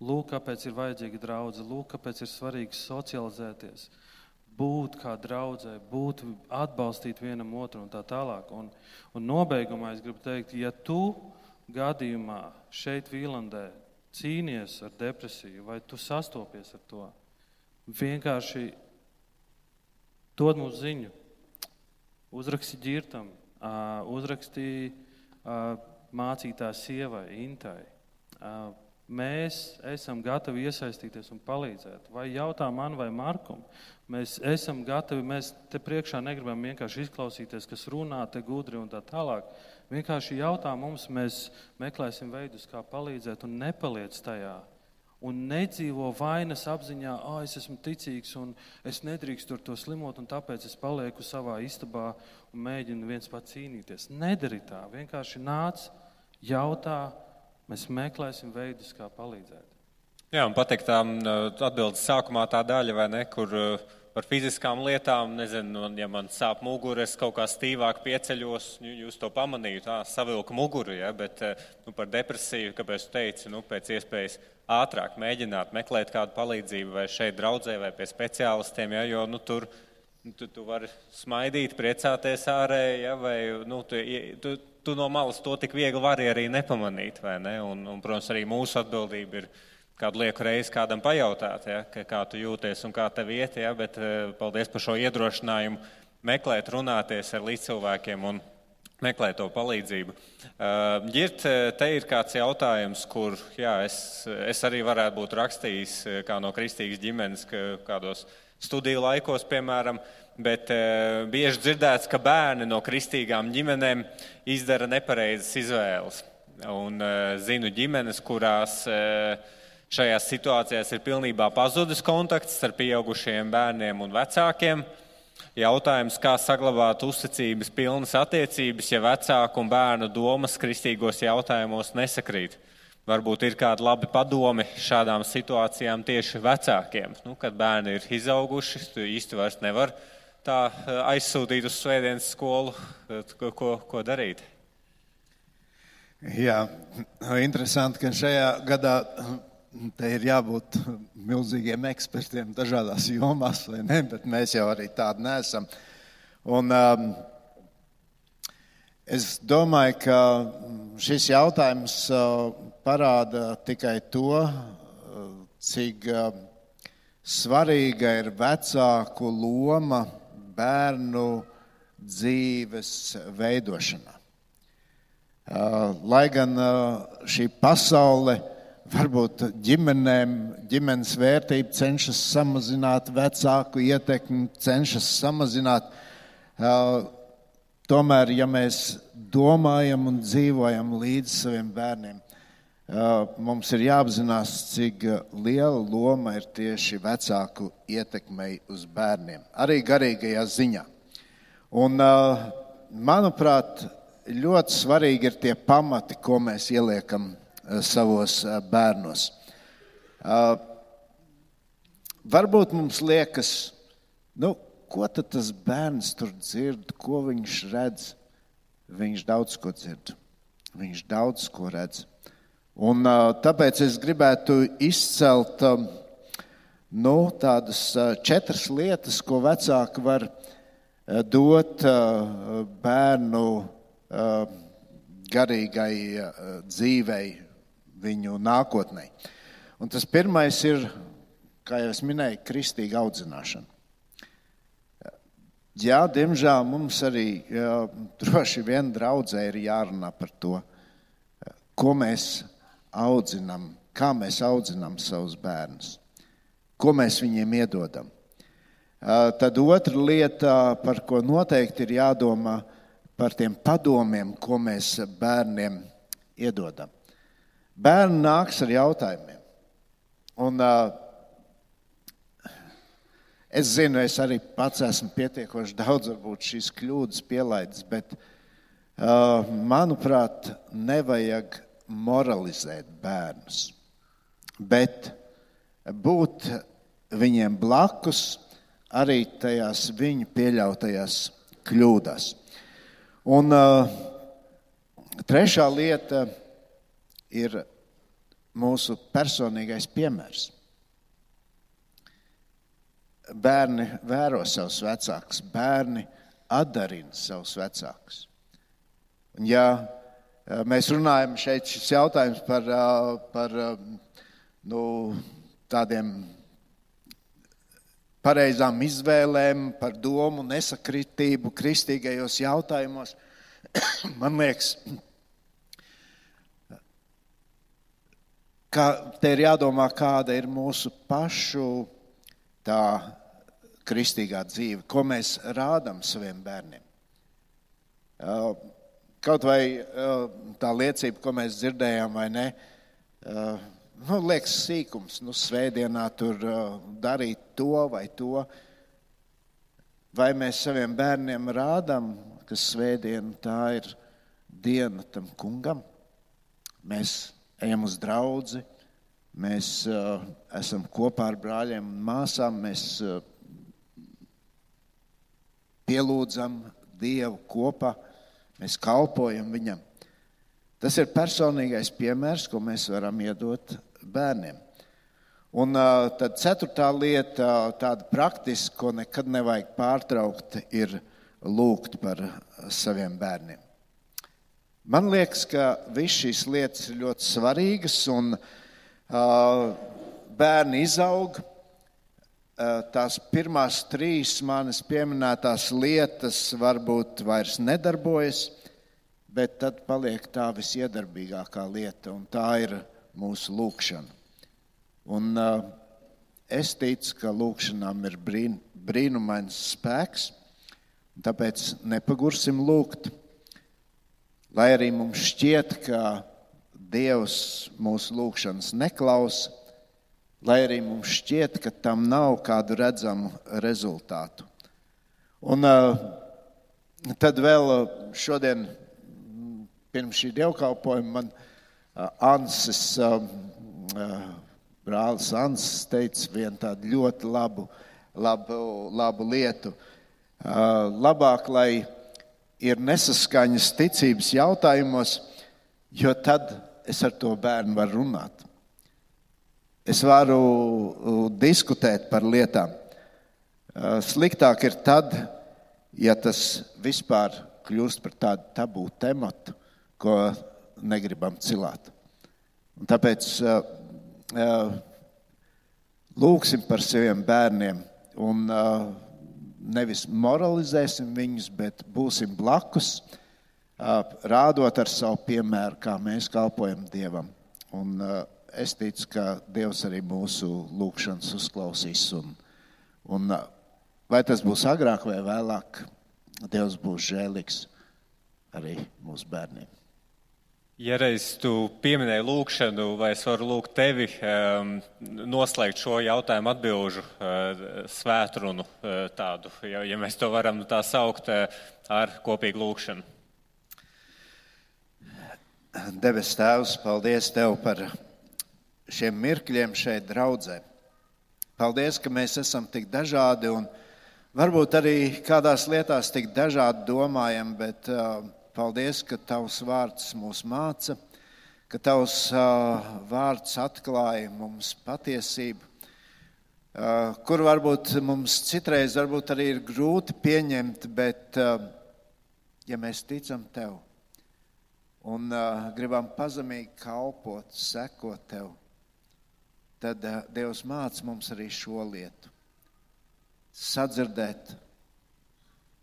Lūk, kāpēc ir vajadzīga draudze, lūk, kāpēc ir svarīgi socializēties, būt kā draudzē, būt, atbalstīt vienam otru un tā tālāk. Un, un nobeigumā es gribu teikt, ja tu gadījumā šeit Vīlandē cīnies ar depresiju vai tu sastopies ar to, vienkārši dod mums ziņu, uzraksti Ģirtam, uzraksti mācītās sievai, Intai. Mēs esam gatavi iesaistīties un palīdzēt. Vai jautā man vai Markum, mēs esam gatavi, mēs te priekšā negribam vienkārši izklausīties, kas runā te gudri un tā tālāk. Vienkārši jautā mums, mēs meklēsim veidus, kā palīdzēt un nepaliec tajā. Un nedzīvo vainas apziņā, ā, es esmu ticīgs un es nedrīkstu ar to slimot un tāpēc es palieku savā istabā un mēģinu viens pats cīnīties. Nedari tā, vienkārši nāc, jautā, mēs meklēsim veidus, kā palīdzēt. Jā, un pateikt tā atbildes sākumā tā daļa, vai ne, kur par fiziskām lietām, nezinu, ja man sāp mugura, es kaut kā stīvāk pieceļos, jūs to pamanīju, tā savilka muguru, ja, bet nu, par depresiju, kāpēc tu teici, nu, pēc iespējas ātrāk mēģināt meklēt kādu palīdzību vai šeit draudzē vai pie speciālistiem, ja, jo nu, tur tu, tu vari smaidīt, priecāties ārēji, ja, vai nu, tu, tu, tu no malas to tik viegli vari arī nepamanīt, vai ne? Un, un, protams, arī mūsu atbildība ir kādu lieku reizi kādam pajautāt, ja, kā tu jūties un kā tev iet, ja, bet paldies par šo iedrošinājumu meklēt, runāties ar līdzcilvēkiem un meklēt to palīdzību. Ģirt, te ir kāds jautājums, kur jā, es, es arī varētu būt rakstījis kā no kristīgas ģimenes kādos studiju laikos, piemēram, bet bieži dzirdēts, ka bērni no kristīgām ģimenēm izdara nepareizas izvēles. Un zinu ģimenes, kurās šajās situācijās ir pilnībā pazudis kontakts ar pieaugušiem bērniem un vecākiem. Jautājums, kā saglabāt uzticības pilnas attiecības, ja vecāku un bērnu domas kristīgos jautājumos nesakrīt. Varbūt ir kādi labi padomi šādām situācijām tieši vecākiem. Nu, kad bērni ir izauguši, tu īsti vairs nevar tā aizsūtīt uz svētdienas skolu, ko, ko, ko darīt. Jā, interesanti, ka šajā gadā te ir jābūt milzīgiem ekspertiem dažādās jomās, vai ne, bet mēs jau arī tādi neesam. Un um, es domāju, ka šis jautājums uh, parāda tikai to, uh, cik uh, svarīga ir vecāku loma bērnu dzīves veidošanā. Uh, lai gan uh, šī pasaule varbūt ģimenēm, ģimenes vērtība cenšas samazināt, vecāku ietekmi cenšas samazināt. Tomēr, ja mēs domājam un dzīvojam līdz saviem bērniem, mums ir jāapzinās, cik liela loma ir tieši vecāku ietekmei uz bērniem, arī garīgajā ziņā. Un, manuprāt, ļoti svarīgi ir tie pamati, ko mēs ieliekam savos bērnos. Varbūt mums liekas, nu, ko tad tas bērns tur dzird, ko viņš redz? Viņš daudz ko dzird, viņš daudz ko redz. Un tāpēc es gribētu izcelt nu, tādas četras lietas, ko vecāki var dot bērnu garīgai dzīvei, viņu nākotnē. Un tas pirmais ir, kā jau es minēju, kristīga audzināšana. Jā, diemžēl mums arī jā, droši vien draudzē ir jārunā par to, ko mēs audzinām, kā mēs audzinām savus bērnus, ko mēs viņiem iedodam. Tad otra lieta, par ko noteikti ir jādomā, par tiem padomiem, ko mēs bērniem iedodam. Bērni nāks ar jautājumiem. Un uh, es zinu, es arī pats esmu pietiekoši daudz varbūt šīs kļūdas pielaidis, bet manuprāt, nevajag moralizēt bērnus, bet būt viņiem blakus arī tajās viņu pieļautajās kļūdās. Un uh, trešā lieta ir mūsu personīgais piemērs. Bērni vēro savus vecākus, bērni atdarina savus vecākus. Un ja mēs runājam šeit šis jautājums par, par nu, tādiem pareizām izvēlēm, par domu nesakritību kristīgajos jautājumos, man liekas, ka te ir jādomā, kāda ir mūsu pašu tā kristīgā dzīve, ko mēs rādām saviem bērniem. Kaut vai tā liecība, ko mēs dzirdējām, vai ne, nu, liekas sīkums, nu, svētdienā tur darīt to vai to. Vai mēs saviem bērniem rādām, ka svētdiena tā ir diena tam kungam? Mēs ejam uz draudzi, mēs uh, esam kopā ar brāļiem un māsām, mēs uh, pielūdzam Dievu kopā, mēs kalpojam viņam. Tas ir personīgais piemērs, ko mēs varam iedot bērniem. Un uh, tad ceturtā lieta, tāda praktiska, ko nekad nevajag pārtraukt, ir lūgt par saviem bērniem. Man liekas, ka viss šīs lietas ir ļoti svarīgas un uh, bērni izaug. Uh, tās pirmās trīs manas pieminētās lietas varbūt vairs nedarbojas, bet tad paliek tā visiedarbīgākā lieta, un tā ir mūsu lūgšana. Un uh, es ticu, ka lūgšanām ir brīn, brīnumains spēks, un tāpēc nepagursim lūgt. Lai arī mums šķiet, ka Dievs mūsu lūgšanas neklausa, lai arī mums šķiet, ka tam nav kādu redzamu rezultātu. Un uh, tad vēl šodien, pirms šī dievkalpojuma, man uh, Ansis, uh, uh, brālis Ansis teica vienu tādu ļoti labu, labu, labu lietu. Uh, labāk, lai ir nesaskaņas ticības jautājumos, jo tad es ar to bērnu varu runāt. Es varu diskutēt par lietām. Sliktāk ir tad, ja tas vispār kļūst par tādu tabū tematu, ko negribam cilāt. Un tāpēc lūgsim par saviem bērniem un nevis moralizēsim viņus, bet būsim blakus, rādot ar savu piemēru, kā mēs kalpojam Dievam. Un es ticu, ka Dievs arī mūsu lūgšanas uzklausīs. Un, un vai tas būs agrāk vai vēlāk, Dievs būs žēlīgs arī mūsu bērniem. Ja reiz tu pieminēji lūgšanu, vai es varu lūgt tevi um, noslēgt šo jautājumu atbilžu uh, svētrunu uh, tādu, ja, ja mēs to varam tā saukt, uh, ar kopīgu lūgšanu. Debes Tēvs, paldies Tev par šiem mirkļiem šeit draudzē. Paldies, ka mēs esam tik dažādi un varbūt arī kādās lietās tik dažādi domājam, bet uh, paldies, ka Tavs vārds mūs māca, ka Tavs uh, vārds atklāja mums patiesību, uh, kur varbūt mums citreiz varbūt arī ir grūti pieņemt, bet uh, ja mēs ticam Tev un uh, gribam pazemīgi kalpot, sekot Tev, tad uh, Dievs māca mums arī šo lietu. Sadzirdēt,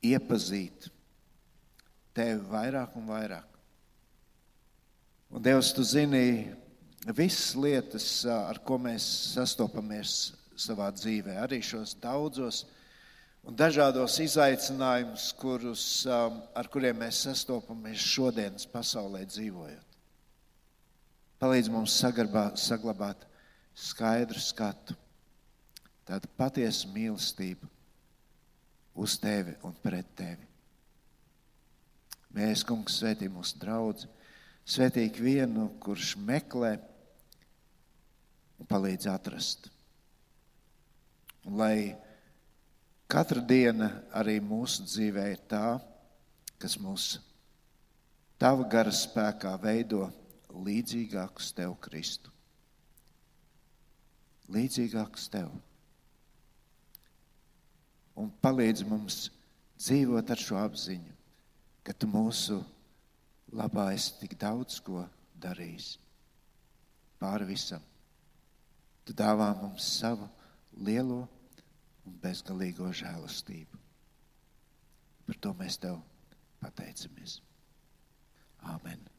iepazīt Tevi vairāk un vairāk. Un Dievs, Tu zini visas lietas, ar ko mēs sastopamies savā dzīvē, arī šos daudzos un dažādos izaicinājumus, kurus, ar kuriem mēs sastopamies šodienas pasaulē dzīvojot. Palīdz mums saglabāt, saglabāt skaidru skatu, tādu patiesu mīlestību uz Tevi un pret Tevi. Mēs, kungs, svētī mūsu draudzi, svētī ikvienu, kurš meklē un palīdz atrast. Un lai katra diena arī mūsu dzīvē ir tā, kas mūs tava gara spēkā veido līdzīgākus tev, Kristu. Līdzīgākus tev. Un palīdz mums dzīvot ar šo apziņu, ka tu mūsu labā esi tik daudz ko darījis. Pāri visam. Tu dāvā mums savu lielo un bezgalīgo žēlastību. Par to mēs tev pateicamies. Āmen.